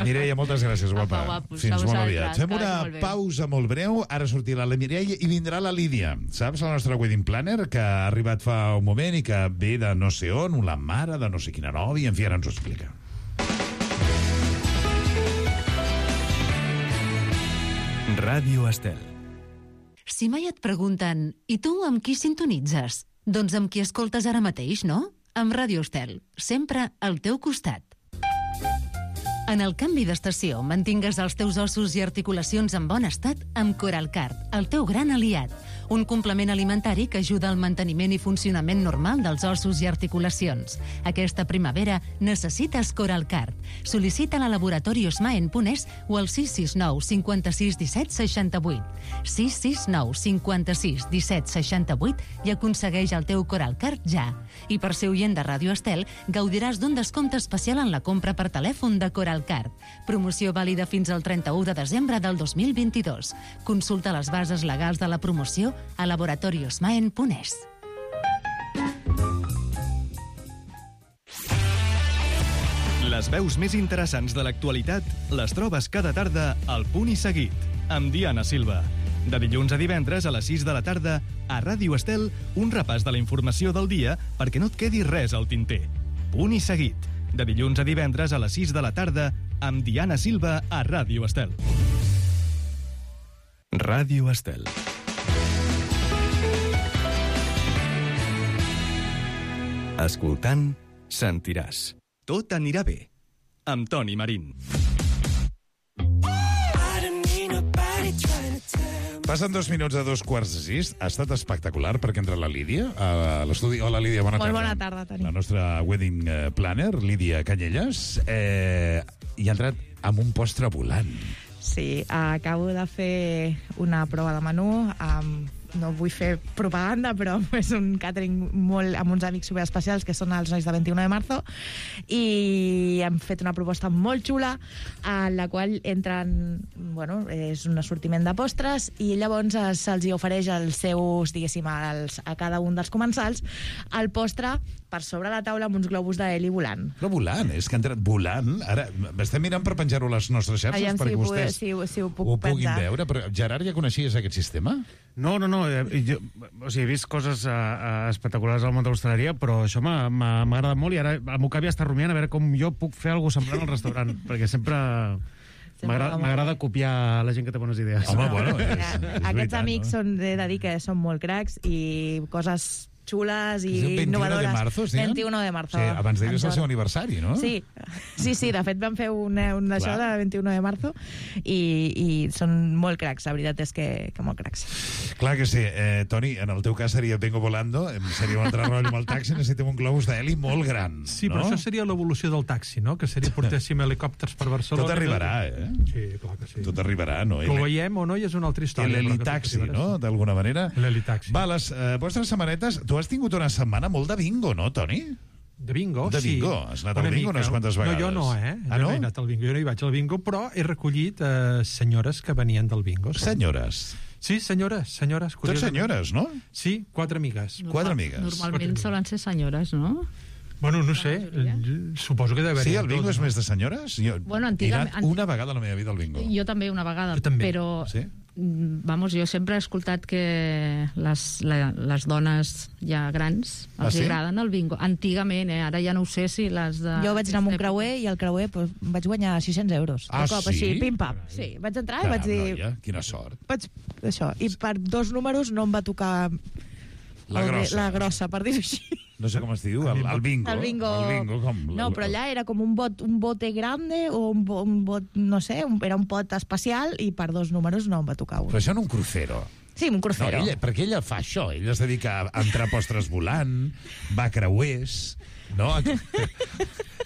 Mireia, moltes gràcies, guapa. Apa, guapos, Fins a molt vosaltres, aviat. que Fem vagi una molt bé. pausa molt breu. Ara sortirà la Mireia i vindrà la Lídia. Saps? La nostra wedding planner, que ha arribat fa un moment i que ve de no sé on, la mare de no sé quina nòvia, en fi, ara ens ho explica. Ràdio Estel. Si mai et pregunten «I tu amb qui sintonitzes?» Doncs amb qui escoltes ara mateix, no? Amb Ràdio Estel, sempre al teu costat. En el canvi d'estació, mantingues els teus ossos i articulacions en bon estat amb Coralcard, el teu gran aliat. Un complement alimentari que ajuda al manteniment i funcionament normal dels ossos i articulacions. Aquesta primavera necessites Coralcard. Sol·licita-la a Laboratori Osmaen Punès o al sis sis nou cinquanta-sis disset seixanta-vuit. sis sis nou cinquanta-sis disset seixanta-vuit i aconsegueix el teu Coralcard ja. I per ser oient de Ràdio Estel, gaudiràs d'un descompte especial en la compra per telèfon de Coralcard. Promoció vàlida fins al trenta-u de desembre del dos mil vint-i-dos. Consulta les bases legals de la promoció a Laboratori Osmaen Punès. Les veus més interessants de l'actualitat les trobes cada tarda al Punt i Seguit, amb Diana Silva. De dilluns a divendres a les sis de la tarda, a Ràdio Estel, un repàs de la informació del dia perquè no et quedi res al tinter. Punt i Seguit, de dilluns a divendres a les sis de la tarda, amb Diana Silva a Ràdio Estel. Ràdio Estel. Escoltant, sentiràs. Tot anirà bé. Amb Toni Marín. Passen dos minuts a dos quarts de sis. Ha estat espectacular perquè entra la Lídia a l'estudi. Hola, Lídia, bona Molt tarda. bona tarda, Toni. La nostra wedding eh, planner, Lídia Canyelles, eh, i ha entrat amb un postre volant. Sí, acabo de fer una prova de menú amb no vull fer propaganda, però és un catering molt, amb uns amics superespecials que són els nois de vint-i-u de marzo, i hem fet una proposta molt xula en la qual entren, bueno, és un assortiment de postres i llavors eh, se'ls hi ofereix als seus, diguéssim, als, a cada un dels comensals el postre per sobre la taula amb uns globus d'heli volant. Però volant, és que ha entrat volant. Ara, estem mirant per penjar-ho a les nostres xarxes Aviam perquè si, vostès si, si ho puc ho puguin penjar. veure. Però, Gerard, ja coneixies aquest sistema? No, no, no. eh, Jo, o sigui, he vist coses uh, uh, espectaculars al món de l'hostaleria, però això m'ha m'ha- m'ha agradat molt i ara el meu cap ja està rumiant a veure com jo puc fer alguna cosa semblant al restaurant, perquè sempre m'agrada m'agrada copiar la gent que té bones idees. Home, bueno, és, Eh, Aquests amics són, he de dir que són molt cracs i coses xules i És el vint-i-u innovadores. de marzo, sí? vint-i-u de marzo. Sí, abans d'ahir és el Entorn. seu aniversari, no? Sí, sí, sí, de fet vam fer un, un això Clar. de vint-i-u de marzo i, i són molt cracs, la veritat és que, que molt cracs. Clar que sí. Eh, Toni, en el teu cas seria Vengo Volando, em seria un altre rotllo amb el taxi, necessitem un globus d'heli molt gran. Sí, no? però això seria l'evolució del taxi, no? Que seria portéssim helicòpters per Barcelona. Tot arribarà, eh? Sí, clar que sí. Tot arribarà, no? Que ho veiem o no, i és una altra història. L'helitaxi, però que tot no?, arribarà, d'alguna manera. L'helitaxi. Va, les eh, vostres setmanetes... Tu has tingut una setmana molt de bingo, no, Toni? De bingo, De sí. bingo. Has anat al Una bingo mica. unes quantes vegades. No, jo no, eh? Ah, jo no? no he anat al bingo, jo no hi vaig al bingo, però he recollit eh, senyores que venien del bingo. Senyores? Sí, senyores, senyores. Tots senyores, no? Sí, quatre amigues. Quatre amigues. Normalment solen ser senyores, no? Bueno, no sé, eh, suposo que deve haver... Sí, el bingo és més de senyores? Jo Bueno, he antigament- anat una vegada a la meva vida al bingo. Jo també una vegada, Jo també. però Sí? Vamos, jo sempre he escoltat que les, la, les dones ja grans els Ah, sí? agraden el bingo. Antigament, eh? Ara ja no ho sé si les de... Jo vaig anar amb un creuer i al creuer pues, vaig guanyar sis-cents euros. Ah, de cop, sí? així, pim-pam. Sí, vaig entrar i vaig dir... Noia, quina sort. Vaig, això, i per dos números no em va tocar La el, grossa. la grossa, per dir-ho així. No sé com es diu, el, el bingo. El bingo. El bingo com... No, però allà era com un bot, un bote grande o un, bo, un bot, no sé, un, era un pot especial i per dos números no em va tocar un. Però això en un crucero. Sí, un crucero. No, ella, perquè ella fa això, ella es dedica a entrar postres volant, va a creuers, no?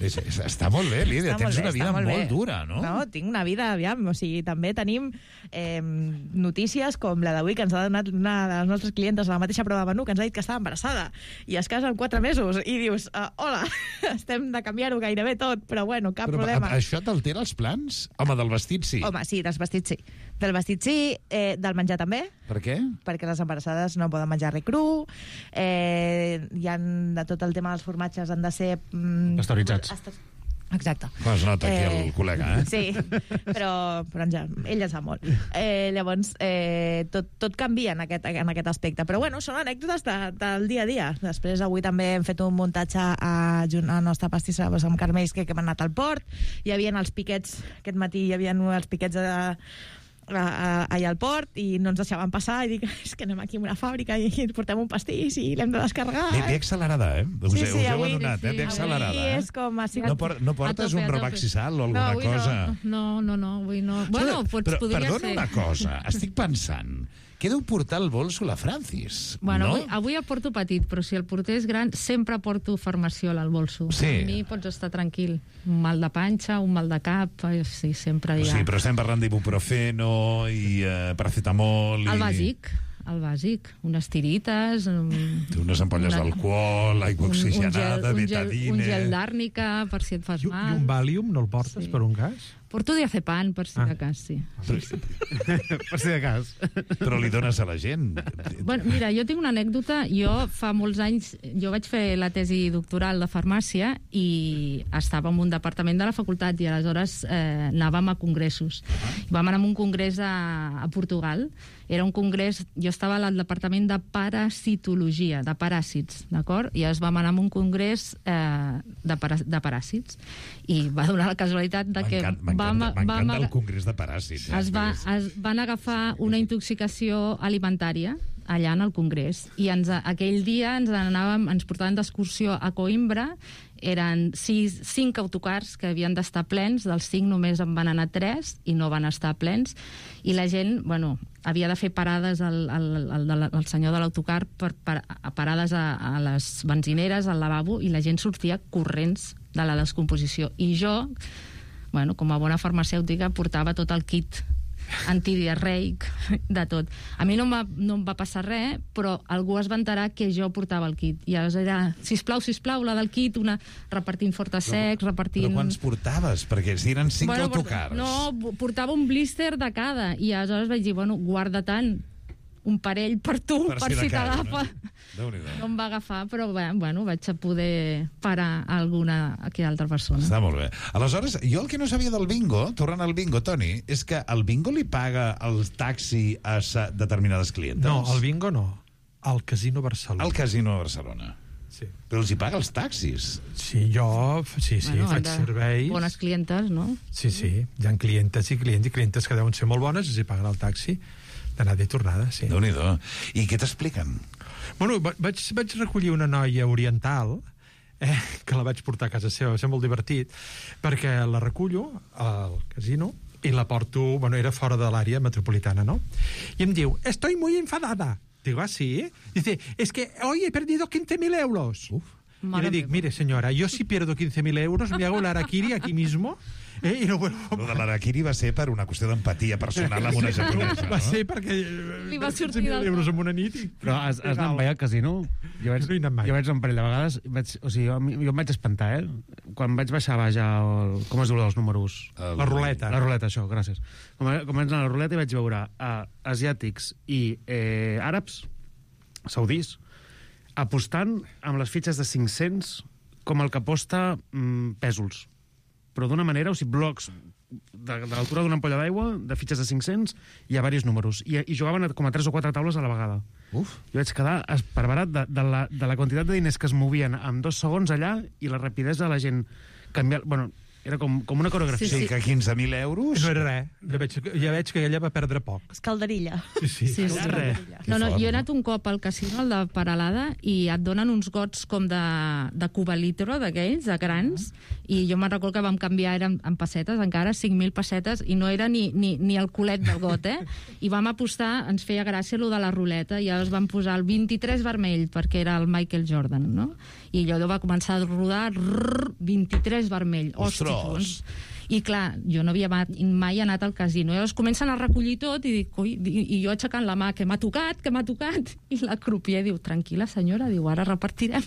és, és, està molt bé, Lídia, Està tens molt bé, una vida està molt, molt bé. dura, no? No, tinc una vida, aviam, o sigui, també tenim eh, notícies com la d'avui que ens ha donat una de les nostres clientes a la mateixa prova de menú, que ens ha dit que estava embarassada i es casa en quatre mesos i dius, uh, hola, estem de canviar-ho gairebé tot, però bueno, cap Però problema. a, això t'altera els plans? Home, del vestit sí. Home, sí, dels vestits sí. Del vestit sí, eh, del menjar també, Per què? perquè les embarassades no poden menjar res cru, eh, hi ha de tot el tema dels formatges han de ser... Mm, Pasteuritzats. Ast- Exacte. Es nota aquí Eh, el col·lega, eh? Sí, però, però en ja, ell en sap molt. Eh, llavors, eh, tot, tot canvia en aquest, en aquest aspecte. Però bueno, són anècdotes de, del dia a dia. Després, avui també hem fet un muntatge a, a la nostra pastissa doncs, amb carmells que, que hem anat al port. Hi havia els piquets, aquest matí hi havia els piquets de, a, a, allà al port i no ens deixaven passar i dic, és que anem aquí a una fàbrica i ens portem un pastís i l'hem de descarregar. Bé, bé accelerada, eh? Us, Sí, us sí, heu avui- adonat, eh? Bé accelerada, avui eh? és com ha sigut... No, por, no portes A tope, un a tope. robaxisal o No, alguna avui cosa? no, no, no, no, avui no. Bueno, pots, però, podria perdona ser. una cosa, estic pensant que deu portar el bolso la Francis, Bueno, no? avui, avui el porto petit, però si el portés gran, sempre porto farmaciola al bolso. Sí. A mi pots estar tranquil. Un mal de panxa, un mal de cap, eh, sí, sempre hi ha. Sí, però estem parlant d'ibuprofeno i eh, paracetamol... El i... bàsic, el bàsic. Unes tirites... Um, Unes ampolles una- d'alcohol, aigua oxigenada, un, gel, betadine... un gel d'àrnica, per si et fas I, mal. I un Valium no el portes sí. per un cas? Porto diazepam, per si Ah. de cas, sí. Per si de cas. Però li dones a la gent. Bueno, mira, jo tinc una anècdota. Jo fa molts anys, jo vaig fer la tesi doctoral de farmàcia i estava en un departament de la facultat i aleshores eh, anàvem a congressos. Vam anar a un congrés a, a Portugal. Era un congrés, jo estava al departament de parasitologia, de paràsits, d'acord? I es vam anar a un congrés eh, de, para, de paràsits i va donar la casualitat de que M'encanta vam, vam, m'encanta el congrés de paràsits. es, va, es van agafar una intoxicació alimentària allà en el congrés i ens, aquell dia ens anàvem, ens portaven d'excursió a Coimbra. Eren sis, cinc autocars que havien d'estar plens, dels cinc només en van anar tres i no van estar plens, i la gent, bueno, havia de fer parades al, al, al, al, al senyor de l'autocar per, per, a parades a, a les benzineres, al lavabo, i la gent sortia corrents de la descomposició. I jo, bueno, com a bona farmacèutica, portava tot el kit antidiarreic, de tot. A mi no em va, no em va passar res, però algú es va enterar que jo portava el kit. I llavors era, sisplau, sisplau, la del kit, una repartint fortasecs, repartint... Però quants portaves? Perquè si eren cinc bueno, autocars. No, portava un blister de cada. I aleshores vaig dir, bueno, guarda tant un parell per tu, per, per si, si t'agafa. No? No em va agafar, però bé, bueno, vaig a poder parar alguna aquí altra persona. Està molt bé. Aleshores, jo el que no sabia del bingo, tornant al bingo, Toni, és que el bingo li paga el taxi a sa- determinades clientes. No, el bingo no. Al Casino Barcelona. Al Casino de Barcelona. Sí. Però els hi paga els taxis. Sí, jo sí, sí, Bueno, faig de serveis. Bones clientes, no? Sí, sí, hi ha clientes i clients i clientes que deuen ser molt bones, els hi paguen el taxi d'anada i tornada, sí. Déu-n'hi-do. I què t'expliquen? Bueno, va- vaig, vaig recollir una noia oriental eh, que la vaig portar a casa seva, va ser molt divertit, perquè la recullo al casino i la porto, bueno, era fora de l'àrea metropolitana, ¿no? I em diu, estoy muy enfadada. Digo, ¿ah, sí? Dice, es que hoy he perdido quince mil euros. Uf. Y le digo, mire, señora, yo si pierdo quince mil euros me hago el harakiri aquí mismo eh, y no vuelvo. Lo de l'araquiri va ser per una qüestió d'empatia personal amb una japonesa, no? Va ser perquè... Li va sortir quinze mil del euros en una nit. I... Però has, has anat mai al casino? Jo vaig, No he anat mai. jo vaig un parell de vegades, vaig, o sigui, jo, jo em vaig espantar, eh? Quan vaig baixar baix al... Com es diu dels números? El- La ruleta. La ruleta, això, gràcies. Com, com vaig anar a la ruleta i vaig veure uh, asiàtics i eh, àrabs, saudís, apostant amb les fitxes de cinc-cents com el que aposta mm, pèsols. Però d'una manera, o sigui, blocs de, de l'altura d'una ampolla d'aigua, de fitxes de cinc-cents, i a diversos números. I, i jugaven com a tres o quatre taules a la vegada. Uf. Jo vaig quedar esparverat de, de, la, de la quantitat de diners que es movien en dos segons allà i la rapidesa de la gent canviar... Bueno, era com, com una coreografia. Sí, sí. Que quinze mil euros... No era res. Ja veig, ja veig que ella va perdre poc. Escalderilla. Sí, sí. Sí, sí. Res. No, no, jo he anat un cop al casino, al de Paralada, i et donen uns gots com de, de cubalitro, d'aquells, de grans, i jo me'n recordo que vam canviar, eren en pessetes, encara, cinc mil pessetes, i no era ni, ni, ni el culet del got, eh? I vam apostar, ens feia gràcia lo de la ruleta, i llavors vam posar el vint-i-tres vermell, perquè era el Michael Jordan, no? I allò va començar a rodar, rrr, vint-i-tres vermell. Ostres! I clar, jo no havia mai anat al casino. I llavors comencen a recollir tot i dic, oi, i jo aixecant la mà, que m'ha tocat, que m'ha tocat. I la crupier diu, tranquil·la senyora, diu, ara repartirem.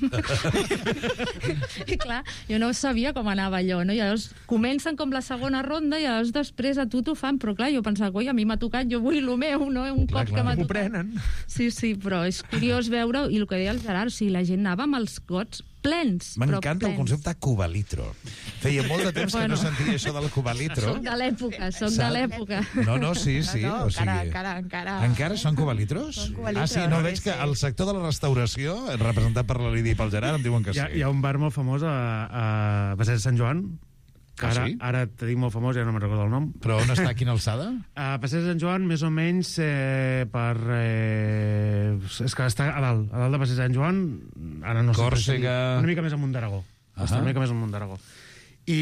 I clar, jo no sabia com anava allò, no? I llavors comencen com la segona ronda i llavors després a tu t'ho fan, però clar, jo pensava, oi, a mi m'ha tocat, jo vull el meu, no? Un clar, cop clar, que m'ha m'ho tocat. prenen. Sí, sí, però és curiós veure, i el que deia el Gerard, o sigui, la gent anava amb els gots plens. M'encanta el concepte cubalitro. Feia molt de temps Bueno. que no sentia això del cubalitro. Soc de l'època, soc de Saps? l'època. No, no, sí, sí. No, no, o sigui... encara, encara, encara. Encara són cubalitros? Són cubalitros, Ah, sí, no, veig sí, que sí. el sector de la restauració, representat per la Lídia i pel Gerard, em diuen que Hi ha, sí. hi ha un bar molt famós a, a Passeig de Sant Joan, que Ah, ara, sí? ara te dic molt famós, ja no me'n recordo el nom. Però on està, quina alçada? A Passeig de Sant Joan, més o menys eh, per... Eh, és que està a dalt, a dalt de Passeig de Sant Joan, ara no sé... Còrsega. Una mica més amunt d'Aragó. Ahà. Està una mica més amunt d'Aragó. I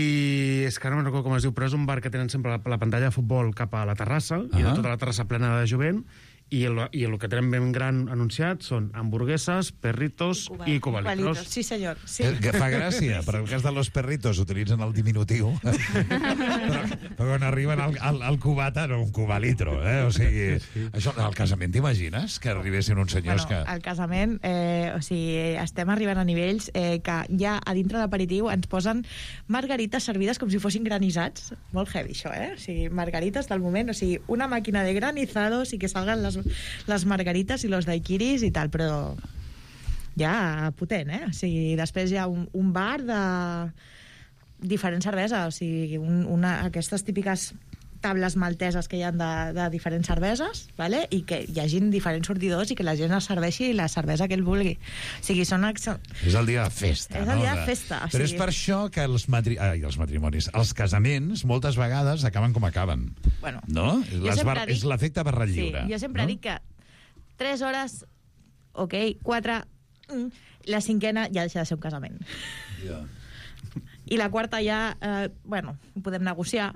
és que ara no me'n recordo com es diu, però és un bar que tenen sempre la, la pantalla de futbol cap a la terrassa, i de Ahà. tota la terrassa plena de jovent, i el, i el que tenen ben gran anunciat són hamburgueses, perritos i cubalitros. Sí, senyor. Sí. Que, que fa gràcia, però en el cas de los perritos utilitzen el diminutiu, però, però quan arriben al, al, al cubata, no un cubalitro, eh? O sigui, això, al casament t'imagines que arribessin uns senyors Bueno, que... al casament, eh, o sigui, estem arribant a nivells eh, que ja a dintre d'aperitiu ens posen margarites servides com si fossin granissats. Molt heavy, això, eh? O sigui, margarites del moment, o sigui, una màquina de granizados i que salgan les, les margarites i los daiquiris i tal, però ja potent, eh? O sigui, després hi ha un, un bar de diferents cerveses, o sigui, un, una, aquestes típiques tables malteses que hi ha de, de diferents cerveses, vale? I que hi hagin diferents sortidors i que la gent es serveixi la cervesa que ell vulgui. O sigui, són... És el dia de festa, És no? el dia de festa, o Però sigui- és per això que els, matri... Ai, els matrimonis, els casaments, moltes vegades acaben com acaben. Bueno, No? jo Les sempre bar... dic- És l'efecte barra lliure. Sí, jo sempre no? dic que tres hores, ok, quatre, mm, la cinquena ja deixa de ser un casament. Ja. I la quarta ja, eh, bueno, ho podem negociar,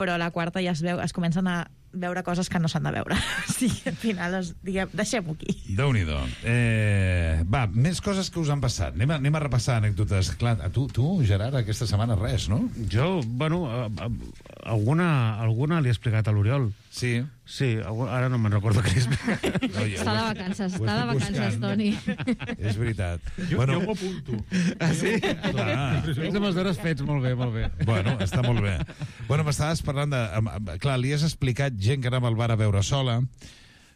però la quarta ja es, veu, es comencen a veure coses que no s'han de veure. Sí, al final, es, diguem, deixem-ho aquí. Déu-n'hi-do. Eh, va, més coses que us han passat. Anem a, anem a repassar anècdotes. Clar, a tu, tu, Gerard, aquesta setmana res, no? Jo, bueno, a, a, alguna, alguna li he explicat a l'Oriol. Sí? Sí, algu- ara no me'n recordo què li he explicat. No, jo, Està de vacances, ho està de estic vacances, buscant. Toni. És veritat. Jo, bueno, jo m'ho apunto. Ah, sí? Clar. Tens amb els deures fets, molt bé, molt bé. Bueno, està molt bé. Bueno, m'estaves parlant de... em- em- Clar, li has explicat gent que anava al bar a veure sola.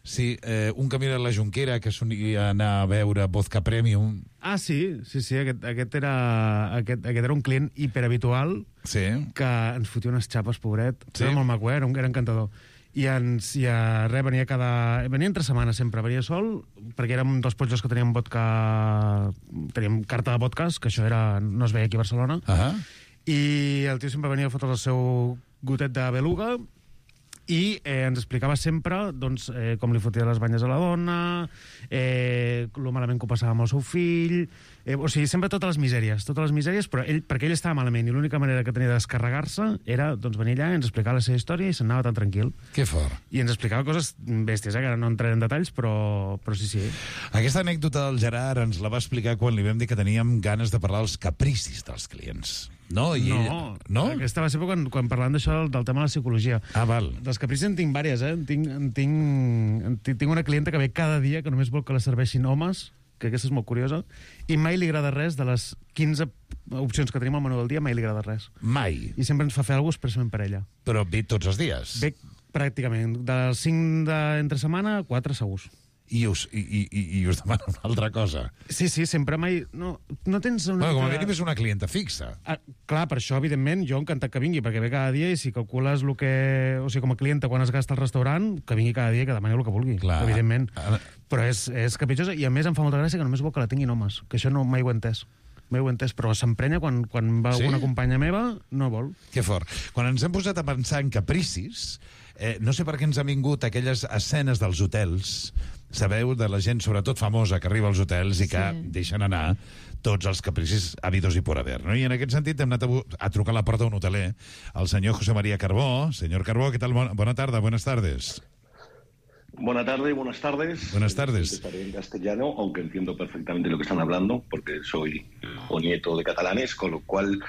Sí, eh, un camí de la Jonquera que solia anar a veure vodka premium. Ah, sí, sí, sí, aquest, aquest, era, aquest, aquest era un client hiperhabitual sí. que ens fotia unes xapes, pobret. Sí. Era molt maco, eh? era, un, era encantador. I ens, i a, res, venia cada... Venia entre setmanes sempre, venia sol, perquè érem dels pollos que teníem vodka... Teníem carta de vodkas, que això era, no es veia aquí a Barcelona. Uh -huh. I el tio sempre venia a fotre el seu gotet de beluga i eh, ens explicava sempre doncs, eh, com li fotia les banyes a la dona, eh, lo malament que ho passava amb el seu fill, eh, o sigui, sempre totes les misèries, totes les misèries, però ell, perquè ell estava malament i l'única manera que tenia de descarregar-se era doncs, venir allà i ens explicar la seva història i se'n anava tan tranquil. Que fort. I ens explicava coses bèsties, eh, que ara no entraré en detalls, però, però sí, sí. Aquesta anècdota del Gerard ens la va explicar quan li vam dir que teníem ganes de parlar dels capricis dels clients. No? I no, ell... no? Aquesta va ser quan, quan parlant d'això del, del tema de la psicologia. Ah, val. Dels capricis en tinc vàries, eh? En tinc, en tinc, en tinc, tinc una clienta que ve cada dia que només vol que la serveixin homes, que aquesta és molt curiosa, i mai li agrada res de les quinze opcions que tenim al menú del dia, mai li agrada res. Mai? I sempre ens fa fer alguna cosa expressament per ella. Però ve tots els dies? Ve pràcticament. Dels cinc de entre setmana, quatre segurs. i us, i, i, i us demana una altra cosa. Sí, sí, sempre mai... No, no tens una... Bueno, com a mica... mínim és una clienta fixa. Ah, clar, per això, evidentment, jo encantat que vingui, perquè ve cada dia i si calcules el que... O sigui, com a clienta, quan es gasta al restaurant, que vingui cada dia i que demani el que vulgui, clar. Evidentment. Però és, és capritxosa i, a més, em fa molta gràcia que només vol que la tinguin homes, que això no mai ho he entès. Mai ho he entès, però s'emprenya quan, quan va Sí? alguna companya meva, no vol. Que fort. Quan ens hem posat a pensar en capricis, eh, no sé per què ens han vingut aquelles escenes dels hotels, sabeu, de la gent, sobretot famosa, que arriba als hotels i que sí. deixen anar tots els capricis habidos i por haver, no? I en aquest sentit hem anat a, a trucar a la porta d'un hoteler, el senyor José María Carbó. Senyor Carbó, què tal? Bona, bona tarda, buenas tardes. Buenas tardes, buenas tardes. Buenas tardes. Estaré en castellano, aunque entiendo perfectamente lo que están hablando, porque soy hijo nieto de catalanes, con lo cual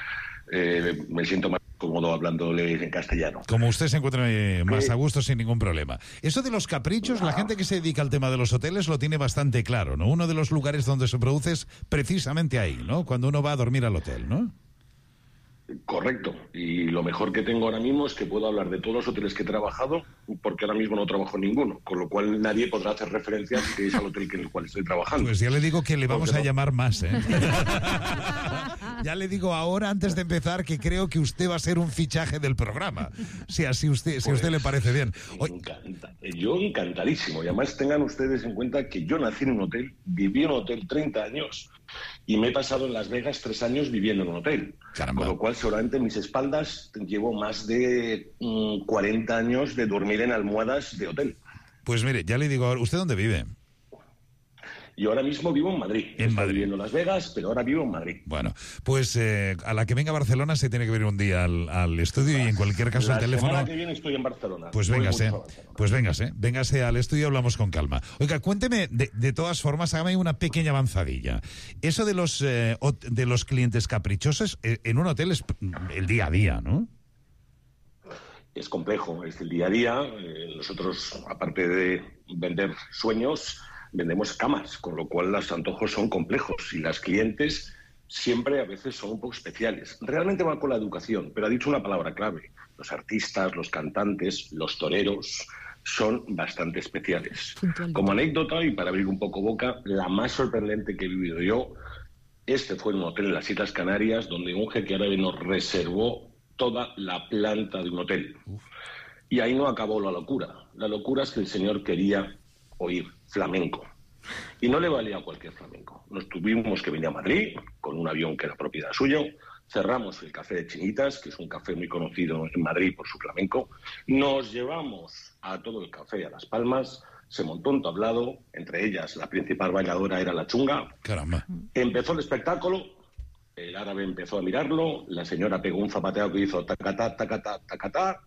eh, me siento más cómodo hablándoles en castellano. Como usted se encuentra eh, más a gusto, sin ningún problema. Eso de los caprichos, la gente que se dedica al tema de los hoteles lo tiene bastante claro, ¿no? Uno de los lugares donde se produce es precisamente ahí, ¿no? Cuando uno va a dormir al hotel, ¿no? Correcto. Y lo mejor que tengo ahora mismo es que puedo hablar de todos los hoteles que he trabajado, porque ahora mismo no trabajo en ninguno, con lo cual nadie podrá hacer referencia que es al hotel en el cual estoy trabajando. Pues ya le digo que le vamos Porque a no. llamar más, ¿eh? Ya le digo ahora, antes de empezar, que creo que usted va a ser un fichaje del programa. Si así usted, si a usted le parece bien. Hoy... Encanta. Yo encantadísimo. Y además tengan ustedes en cuenta que yo nací en un hotel, viví en un hotel treinta años y me he pasado en Las Vegas tres años viviendo en un hotel. Caramba. Con lo cual, seguramente en mis espaldas llevo más de mm, cuarenta años de dormir en almohadas de hotel. Pues mire, ya le digo ahora, ¿usted dónde vive? Yo ahora mismo vivo en Madrid. En Estoy Madrid. viviendo en Las Vegas, pero ahora vivo en Madrid. Bueno, pues eh, a la que venga a Barcelona se tiene que venir un día al, al estudio y en cualquier caso La el teléfono... semana que viene estoy en Barcelona. Pues Voy véngase, mucho a Barcelona. pues véngase, véngase al estudio y hablamos con calma. Oiga, cuénteme, de, de todas formas, hágame una pequeña avanzadilla. Eso de los, eh, hot- de los clientes caprichosos, eh, en un hotel es el día a día, ¿no? Es complejo, es el día a día. Eh, nosotros, aparte de vender sueños, vendemos camas, con lo cual los antojos son complejos y las clientes siempre a veces son un poco especiales. Realmente va con la educación, pero ha dicho una palabra clave. Los artistas, los cantantes, los toreros son bastante especiales. Como anécdota, y para abrir un poco boca, la más sorprendente que he vivido yo, este fue en un hotel en las Islas Canarias, donde un jeque árabe nos reservó toda la planta de un hotel. Y ahí no acabó la locura. La locura es que el señor quería oír flamenco. Y no le valía cualquier flamenco. Nos tuvimos que venir a Madrid con un avión que era propiedad suyo. Cerramos el Café de Chinitas, que es un café muy conocido en Madrid por su flamenco. Nos llevamos a todo el café a Las Palmas. Se montó un tablado, entre ellas la principal bailadora era la chunga. Caramba. Empezó el espectáculo, el árabe empezó a mirarlo, la señora pegó un zapateo que hizo tacatá, tacatá, tacatá.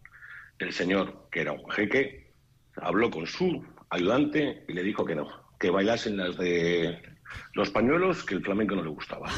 El señor, que era un jeque, habló con su ayudante y le dijo que no, que bailasen las de los pañuelos, que el flamenco no le gustaba.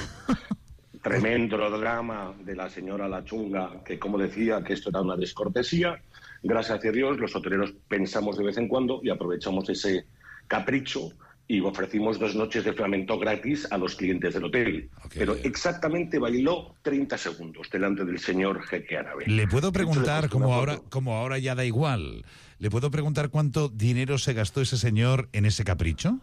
Tremendo drama de la señora La Chunga, que como decía que esto era una descortesía. Gracias a Dios, los hoteleros pensamos de vez en cuando y aprovechamos ese capricho y ofrecimos dos noches de flamenco gratis a los clientes del hotel. Okay. Pero exactamente bailó treinta segundos delante del señor jeque árabe. Le puedo preguntar, como ahora, como ahora ya da igual, ¿le puedo preguntar cuánto dinero se gastó ese señor en ese capricho?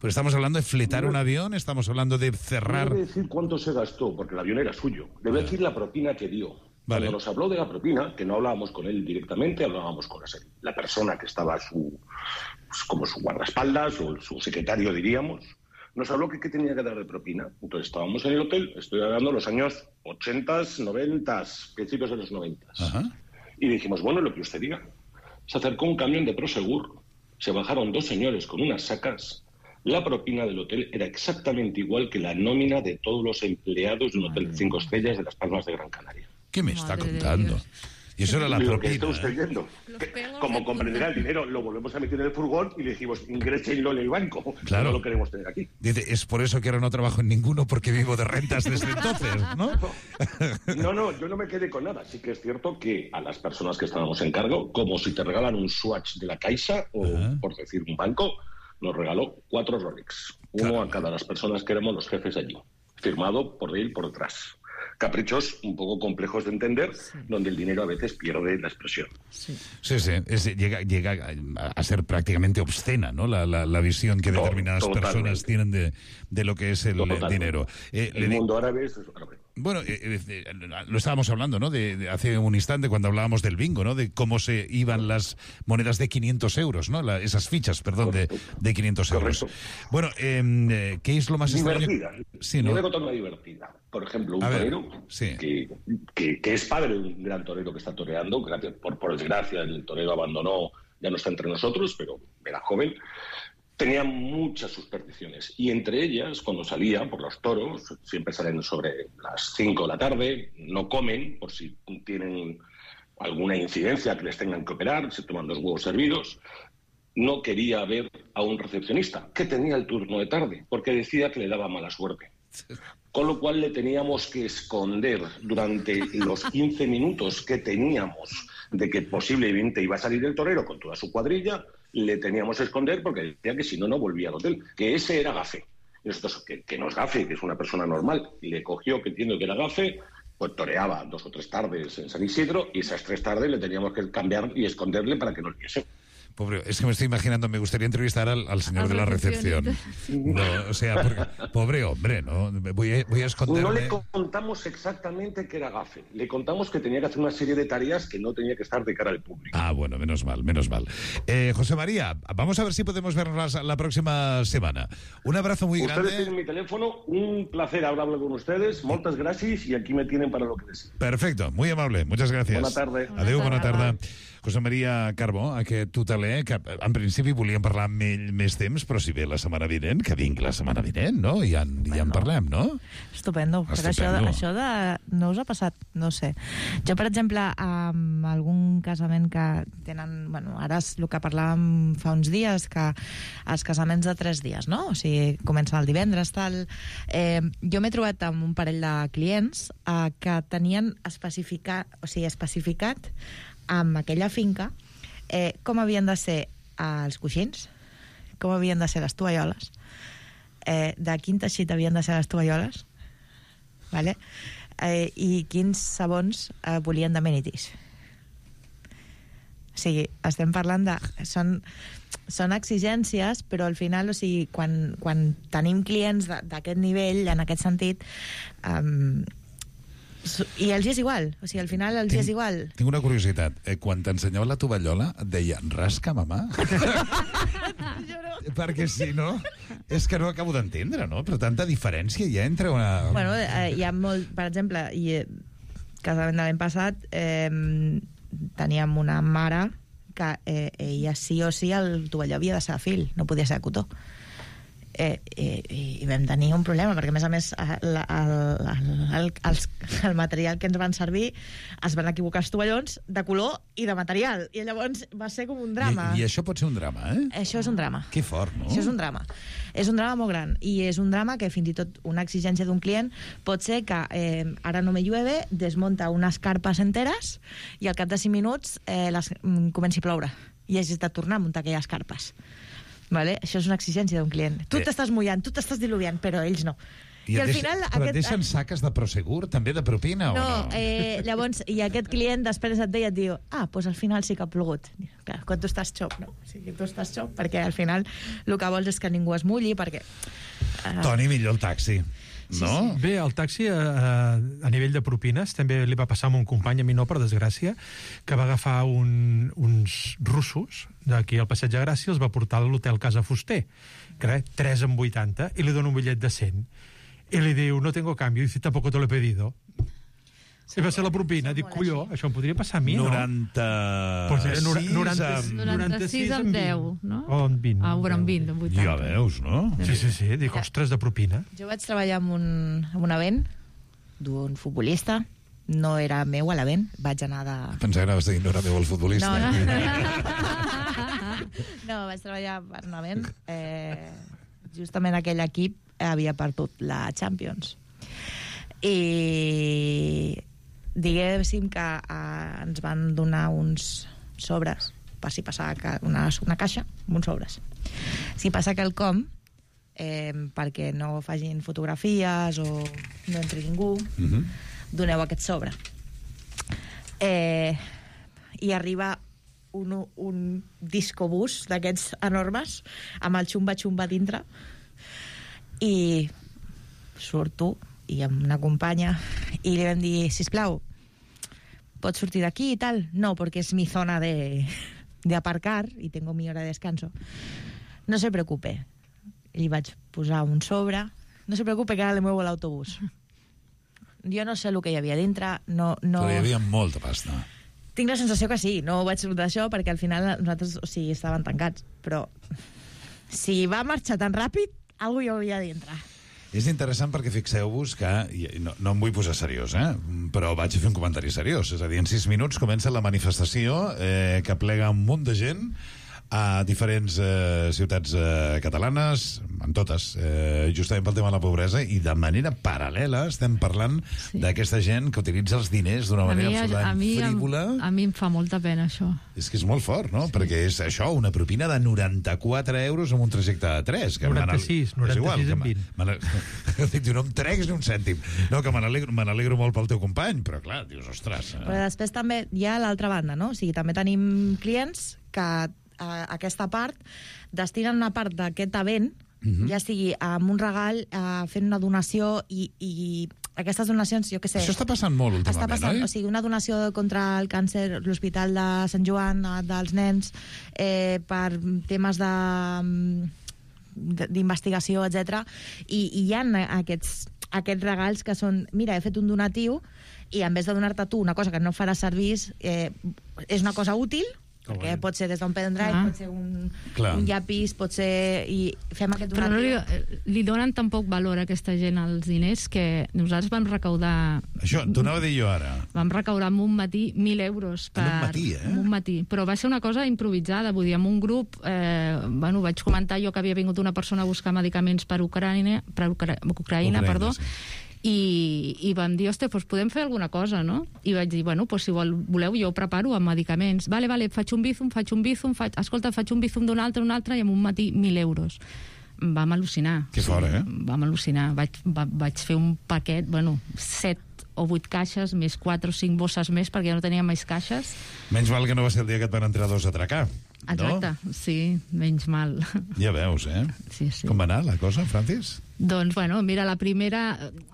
Pues estamos hablando de fletar un avión, estamos hablando de cerrar... No debe decir cuánto se gastó, porque el avión era suyo. Debe decir la propina que dio. Vale. Cuando nos habló de la propina, que no hablábamos con él directamente, hablábamos con la, la persona que estaba a su, pues, como su guardaespaldas o su secretario, diríamos, nos habló que qué tenía que dar de propina. Entonces estábamos en el hotel, estoy hablando de los años ochenta, noventa, principios de los noventa. Y dijimos, bueno, lo que usted diga. Se acercó un camión de Prosegur, se bajaron dos señores con unas sacas. La propina del hotel era exactamente igual que la nómina de todos los empleados de un hotel de cinco estrellas de Las Palmas de Gran Canaria. ¿Qué me está contando? Y eso era la Lo propina. que está usted ¿eh? viendo. Como comprenderá, el dinero lo volvemos a meter en el furgón y le dijimos, ingrésenlo en el banco. Claro. No lo queremos tener aquí. Dice, es por eso que ahora no trabajo en ninguno, porque vivo de rentas desde entonces, ¿no? No, no, yo no me quedé con nada. Sí que es cierto que a las personas que estábamos en cargo, como si te regalan un Swatch de la Caixa, o uh-huh. por decir un banco, nos regaló cuatro Rolex. Uno Caramba. a cada las personas que éramos los jefes allí. Firmado por él por detrás. caprichos un poco complejos de entender, sí. donde el dinero a veces pierde la expresión. Sí, sí, sí. Es, llega, llega a ser prácticamente obscena, ¿no? La, la, la visión que determinadas Totalmente. personas tienen de, de lo que es el Totalmente. dinero. Eh, el mundo árabe es árabe. Bueno, eh, eh, lo estábamos hablando, ¿no? De, de hace un instante cuando hablábamos del bingo, ¿no? De cómo se iban las monedas de quinientos euros, ¿no? La, esas fichas, perdón, de, de quinientos euros. Bueno, eh, ¿qué es lo más divertida. extraño? Sí, ¿no? Yo voy a contar una divertida. Por ejemplo, un a torero ver, sí. que, que, que es padre de un gran torero que está toreando, que por, por desgracia el torero abandonó, ya no está entre nosotros, pero era joven. Tenía muchas supersticiones y entre ellas, cuando salía por los toros, siempre salen sobre las cinco de la tarde, no comen por si tienen alguna incidencia que les tengan que operar, se toman dos huevos hervidos. No quería ver a un recepcionista que tenía el turno de tarde porque decía que le daba mala suerte. Con lo cual le teníamos que esconder durante los quince minutos que teníamos de que posiblemente iba a salir el torero con toda su cuadrilla, le teníamos que esconder porque decía que si no, no volvía al hotel, que ese era gafe. Y nosotros, que, que no es gafe, que es una persona normal, y le cogió que entiendo que era gafe, pues toreaba dos o tres tardes en San Isidro, y esas tres tardes le teníamos que cambiar y esconderle para que no le viese. Pobre, es que me estoy imaginando, me gustaría entrevistar al, al señor de la recepción. No, o sea, porque, pobre hombre, ¿no? Voy a, voy a esconderme. No le contamos exactamente que era gafe. Le contamos que tenía que hacer una serie de tareas que no tenía que estar de cara al público. Ah, bueno, menos mal, menos mal. Eh, José María, vamos a ver si podemos vernos la, la próxima semana. Un abrazo muy ustedes grande. Ustedes tienen mi teléfono, un placer hablar con ustedes, muchas gracias y aquí me tienen para lo que necesiten. Perfecto, muy amable, muchas gracias. Bona tarda. Adéu, bona tarda. José Maria Carbó, aquest hoteler, que en principi volíem parlar amb ell més temps, però si ve la setmana vinent, que vingui la setmana vinent, no? I ja, bueno, ja en parlem, no? Estupendo. Estupendo. Però això, de, això de... no us ha passat, no sé. Jo, per exemple, amb algun casament que tenen... Bueno, ara és el que parlàvem fa uns dies, que els casaments de tres dies, no? O sigui, comencen el divendres, tal... Eh, jo m'he trobat amb un parell de clients eh, que tenien especificat, o sigui, especificat amb aquella finca eh, com havien de ser els coixins, com havien de ser les tovalloles, eh, de quin teixit havien de ser les tovalloles, vale? eh, i quins sabons eh, volien d'amenities. O sigui, estem parlant de... Són, són exigències, però al final, o sigui, quan, quan tenim clients d'aquest nivell, en aquest sentit... Um, i els és igual, o sigui, al final els tinc, és igual. Tinc una curiositat. Eh, quan t'ensenyava la tovallola et deia, rasca, mamà? Perquè si no, és que no acabo d'entendre, no? Però tanta diferència hi ha entre una... Bueno, eh, hi ha molt... Per exemple, i, casament de l'any passat, eh, teníem una mare que eh, ella sí o sí el tovalló havia de ser de fil, no podia ser de cotó. Eh, eh, i vam tenir un problema perquè a més a més el, el, el, el, el material que ens van servir es van equivocar els tovallons de color i de material i llavors va ser com un drama. I, i això pot ser un drama, eh? Això és un drama. Que fort, no? Això és un drama. És un drama molt gran i és un drama que fins i tot una exigència d'un client pot ser que eh, ara no me llueve, desmunta unes carpes enteres i al cap de cinc minuts eh, les, comenci a ploure i hagis de tornar a muntar aquelles carpes. Vale? Això és una exigència d'un client. Tu eh. t'estàs mullant, tu t'estàs diluviant, però ells no. I, I al final... Però aquest... et deixen saques de Prosegur, també de propina, no, o no? Eh, llavors, i aquest client després et deia, et diu, ah, doncs al final sí que ha plogut. Clar, quan tu estàs xop, no? O sigui, tu estàs xop, perquè al final el que vols és que ningú es mulli, perquè... Uh... Toni, millor el taxi. No? Sí, sí. Bé, el taxi a, a nivell de propines també li va passar a un company, a mi no, per desgràcia, que va agafar un, uns russos d'aquí al Passeig de Gràcia, els va portar a l'hotel Casa Fuster, que era tres amb vuitanta, i li dona un bitllet de cent. I li diu, no tengo cambio, i dice, tampoco te lo he pedido. Sí, i va ser la propina. Dic, colló, això em podria passar a mi, no? noranta... Pues era noranta-sis amb deu, no? O amb vint. Ah, o amb vint, amb vuitanta. Ja veus, no? Sí, sí, sí. Dic, ostres, de propina. Jo vaig treballar en un, en un event d'un futbolista. No era meu a l'event, vaig anar de... Pensava que anaves a dir, no era meu el futbolista. No, no. No, vaig treballar per un event. Eh, justament aquell equip havia perdut la Champions. I diguéssim que eh, ens van donar uns sobres per si passava una, una caixa amb uns sobres. Si passa quelcom, eh, perquè no facin fotografies o no entri ningú, mm-hmm. doneu aquest sobre. Eh, I arriba un, un discobús d'aquests enormes, amb el xumba-xumba dintre, i surto, i amb una companya, i li vam dir, sisplau, pots sortir d'aquí i tal? No, perquè és mi zona de, de aparcar y tengo mi hora de descanso. No se preocupe. Li vaig posar un sobre. No se preocupe, que ara le muevo l'autobús. Jo no sé el que hi havia dintre. No, no... Però hi havia molta pasta. Tinc la sensació que sí. No ho vaig sortir d'això perquè al final nosaltres, o sigui, estaven tancats. Però si va marxar tan ràpid, algú hi havia dintre. És interessant perquè fixeu-vos que, no, no em vull posar seriós, eh? Però vaig a fer un comentari seriós. És a dir, en sis minuts comença la manifestació eh, que plega un munt de gent a diferents eh, ciutats eh, catalanes, en totes, eh, justament pel tema de la pobresa, i de manera paral·lela estem parlant sí. d'aquesta gent que utilitza els diners d'una manera mi, absolutament mi, frívola. A, a mi em fa molta pena, això. És que és molt fort, no? Sí. Perquè és això, una propina de noranta-quatre euros en un trajecte de tres. Que noranta-sis, noranta-sis en vint. Dic, no em treguis ni un cèntim. No, que me n'alegro, me n'alegro molt pel teu company, però clar, dius, ostres... Eh? Però després també hi ha l'altra banda, no? O sigui, també tenim clients que a aquesta part destinen una part d'aquest event, uh-huh. ja sigui amb un regal, uh, fent una donació, i, i aquestes donacions, jo què sé... Això està passant molt últimament, està passant, oi? O sigui, una donació contra el càncer, l'Hospital de Sant Joan, dels nens, eh, per temes de d'investigació, etcètera. I, i hi ha aquests, aquests regals que són, mira, he fet un donatiu, i en vez de donar-te tu una cosa que no farà servir, eh, és una cosa útil, perquè pot ser des d'un pendrive, ah. pot ser un, un llapis, pot ser... I fem aquest donatiu. Però no li, li donen tan poc valor a aquesta gent als diners que nosaltres vam recaudar... Això, t'ho anava a dir jo ara. Vam recaudar en un matí mil euros. Per, en un matí, eh? En un matí. Però va ser una cosa improvisada, vull dir, en un grup, eh, bueno, vaig comentar jo que havia vingut una persona a buscar medicaments per Ucraïna, per Ucra... Ucraïna, Ucraïna perdó, sí. I, i vam dir, hosti, doncs podem fer alguna cosa, no? I vaig dir, bueno, doncs si vol, voleu, jo ho preparo amb medicaments. Vale, vale, faig un bizum, faig un bizum, faig... escolta, faig un bizum d'un altre, un altre, i en un matí mil euros. Vam al·lucinar. Que fort, eh? Vam al·lucinar. Vaig, va, vaig fer un paquet, bueno, set o vuit caixes, més quatre o cinc bosses més, perquè ja no teníem més caixes. Menys mal que no va ser el dia que et van entrar dos a atracar. Exacte, no? Sí, menys mal. Ja veus, eh? Sí, sí. Com va anar la cosa, Francis? Doncs, bueno, mira, la primera...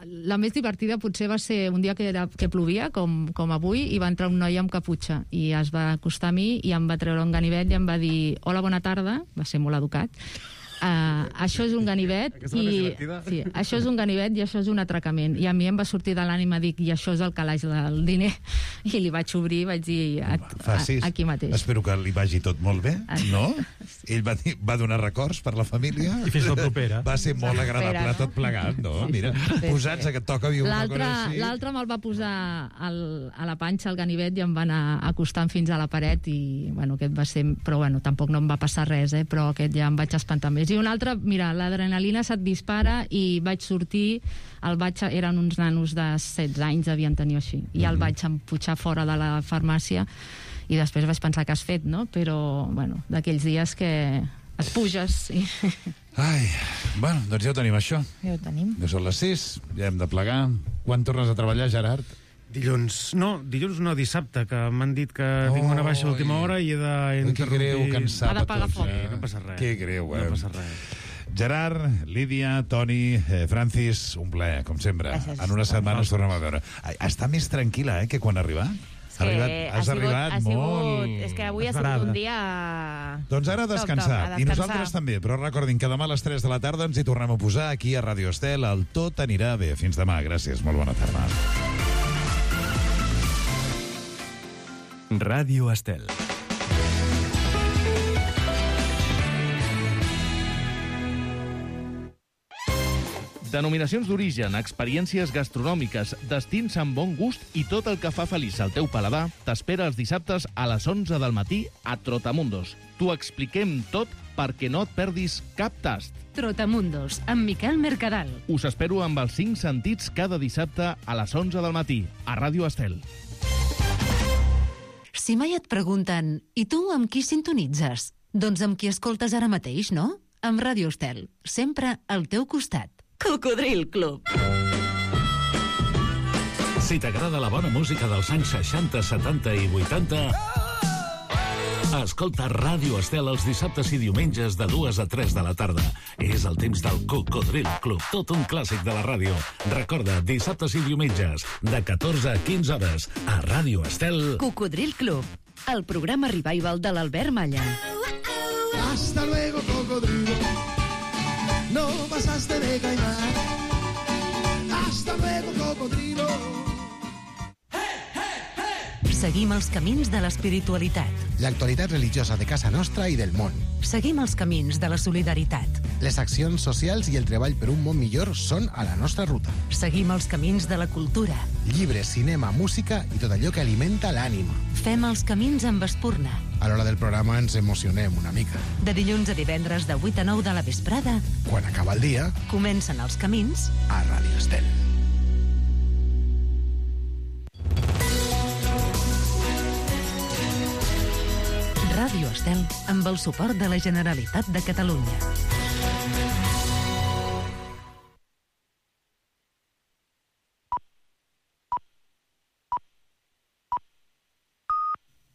La més divertida potser va ser un dia que, era, que plovia, com, com avui, i va entrar un noi amb caputxa, i es va acostar a mi i em va treure un ganivet i em va dir, hola, bona tarda, va ser molt educat, Uh, això és un ganivet i, sí, això és un ganivet i això és un atracament, i a mi em va sortir de l'ànima, dic, i això és el calaix del diner, i li vaig obrir i vaig dir a, a, aquí mateix. Espero que li vagi tot molt bé, no? Ell va, dir, va donar records per la família i fins la propera va ser molt agradable, no? Tot plegat, no? Sí, mira, sí, posats sí. A que et toca viure una cosa així. L'altre me'l va posar al, a la panxa el ganivet i em va anar acostant fins a la paret, i bueno, aquest va ser, però bueno, tampoc no em va passar res, eh? Però aquest ja em vaig espantar més. I un altre, mira, l'adrenalina se't dispara, i vaig sortir, el vaig, eren uns nanos de setze anys, devien tenir així, i el vaig emputxar fora de la farmàcia, i després vaig pensar que has fet, no? Però, bueno, d'aquells dies que et puges i... Ai, bueno, doncs ja ho tenim, això. Ja ho tenim. Ja són les sis, ja hem de plegar. Quan tornes a treballar, Gerard? Dilluns, no, dilluns no, dissabte, que m'han dit que oh, tinc una baixa a última hora i he d'interrompir... Que greu, cansar a tots. Foc. Eh? No passa res. Que greu, eh? No passa res. Gerard, Lídia, Toni, eh, Francis, un plaer, com sempre. Gràcies. En una setmana ens tornem a veure. Està més tranquil·la, eh, que quan ha arribat? Sí, arribat, has ha sigut, arribat ha sigut, molt... És que avui ha sigut un dia... Doncs ara a descansar. Top, top, a descansar. I nosaltres també. Però recordin que demà a les tres de la tarda ens hi tornem a posar aquí a Ràdio Estel. El Tot anirà bé. Fins demà. Gràcies. Molt bona tarda. Ràdio Estel. Denominacions d'origen, experiències gastronòmiques, destins amb bon gust i tot el que fa feliç al teu paladar t'espera els dissabtes a les onze del matí a Trotamundos. T'ho expliquem tot perquè no et perdis cap tast. Trotamundos, amb Miquel Mercadal. Us espero amb els cinc sentits cada dissabte a les onze del matí a Ràdio Estel. Si mai et pregunten, i tu amb qui sintonitzes? Doncs amb qui escoltes ara mateix, no? Amb Ràdio Estel, sempre al teu costat. Cocodril Club. Si t'agrada la bona música dels anys seixanta, setanta i vuitanta, escolta Ràdio Estel els dissabtes i diumenges de dues a tres de la tarda. És el temps del Cocodril Club, tot un clàssic de la ràdio. Recorda, dissabtes i diumenges, de catorze a quinze hores, a Ràdio Estel. Cocodril Club, el programa revival de l'Albert Malla. Hasta luego, cocodrilo. No pasaste de caimán. Hasta luego, cocodrilo. Seguim els camins de l'espiritualitat. L'actualitat religiosa de casa nostra i del món. Seguim els camins de la solidaritat. Les accions socials i el treball per un món millor són a la nostra ruta. Seguim els camins de la cultura. Llibres, cinema, música i tot allò que alimenta l'ànima. Fem els camins amb Espurna. A l'hora del programa ens emocionem una mica. De dilluns a divendres de vuit a nou de la vesprada. Quan acaba el dia, comencen els camins a Ràdio Estel. Ràdio Estel, amb el suport de la Generalitat de Catalunya.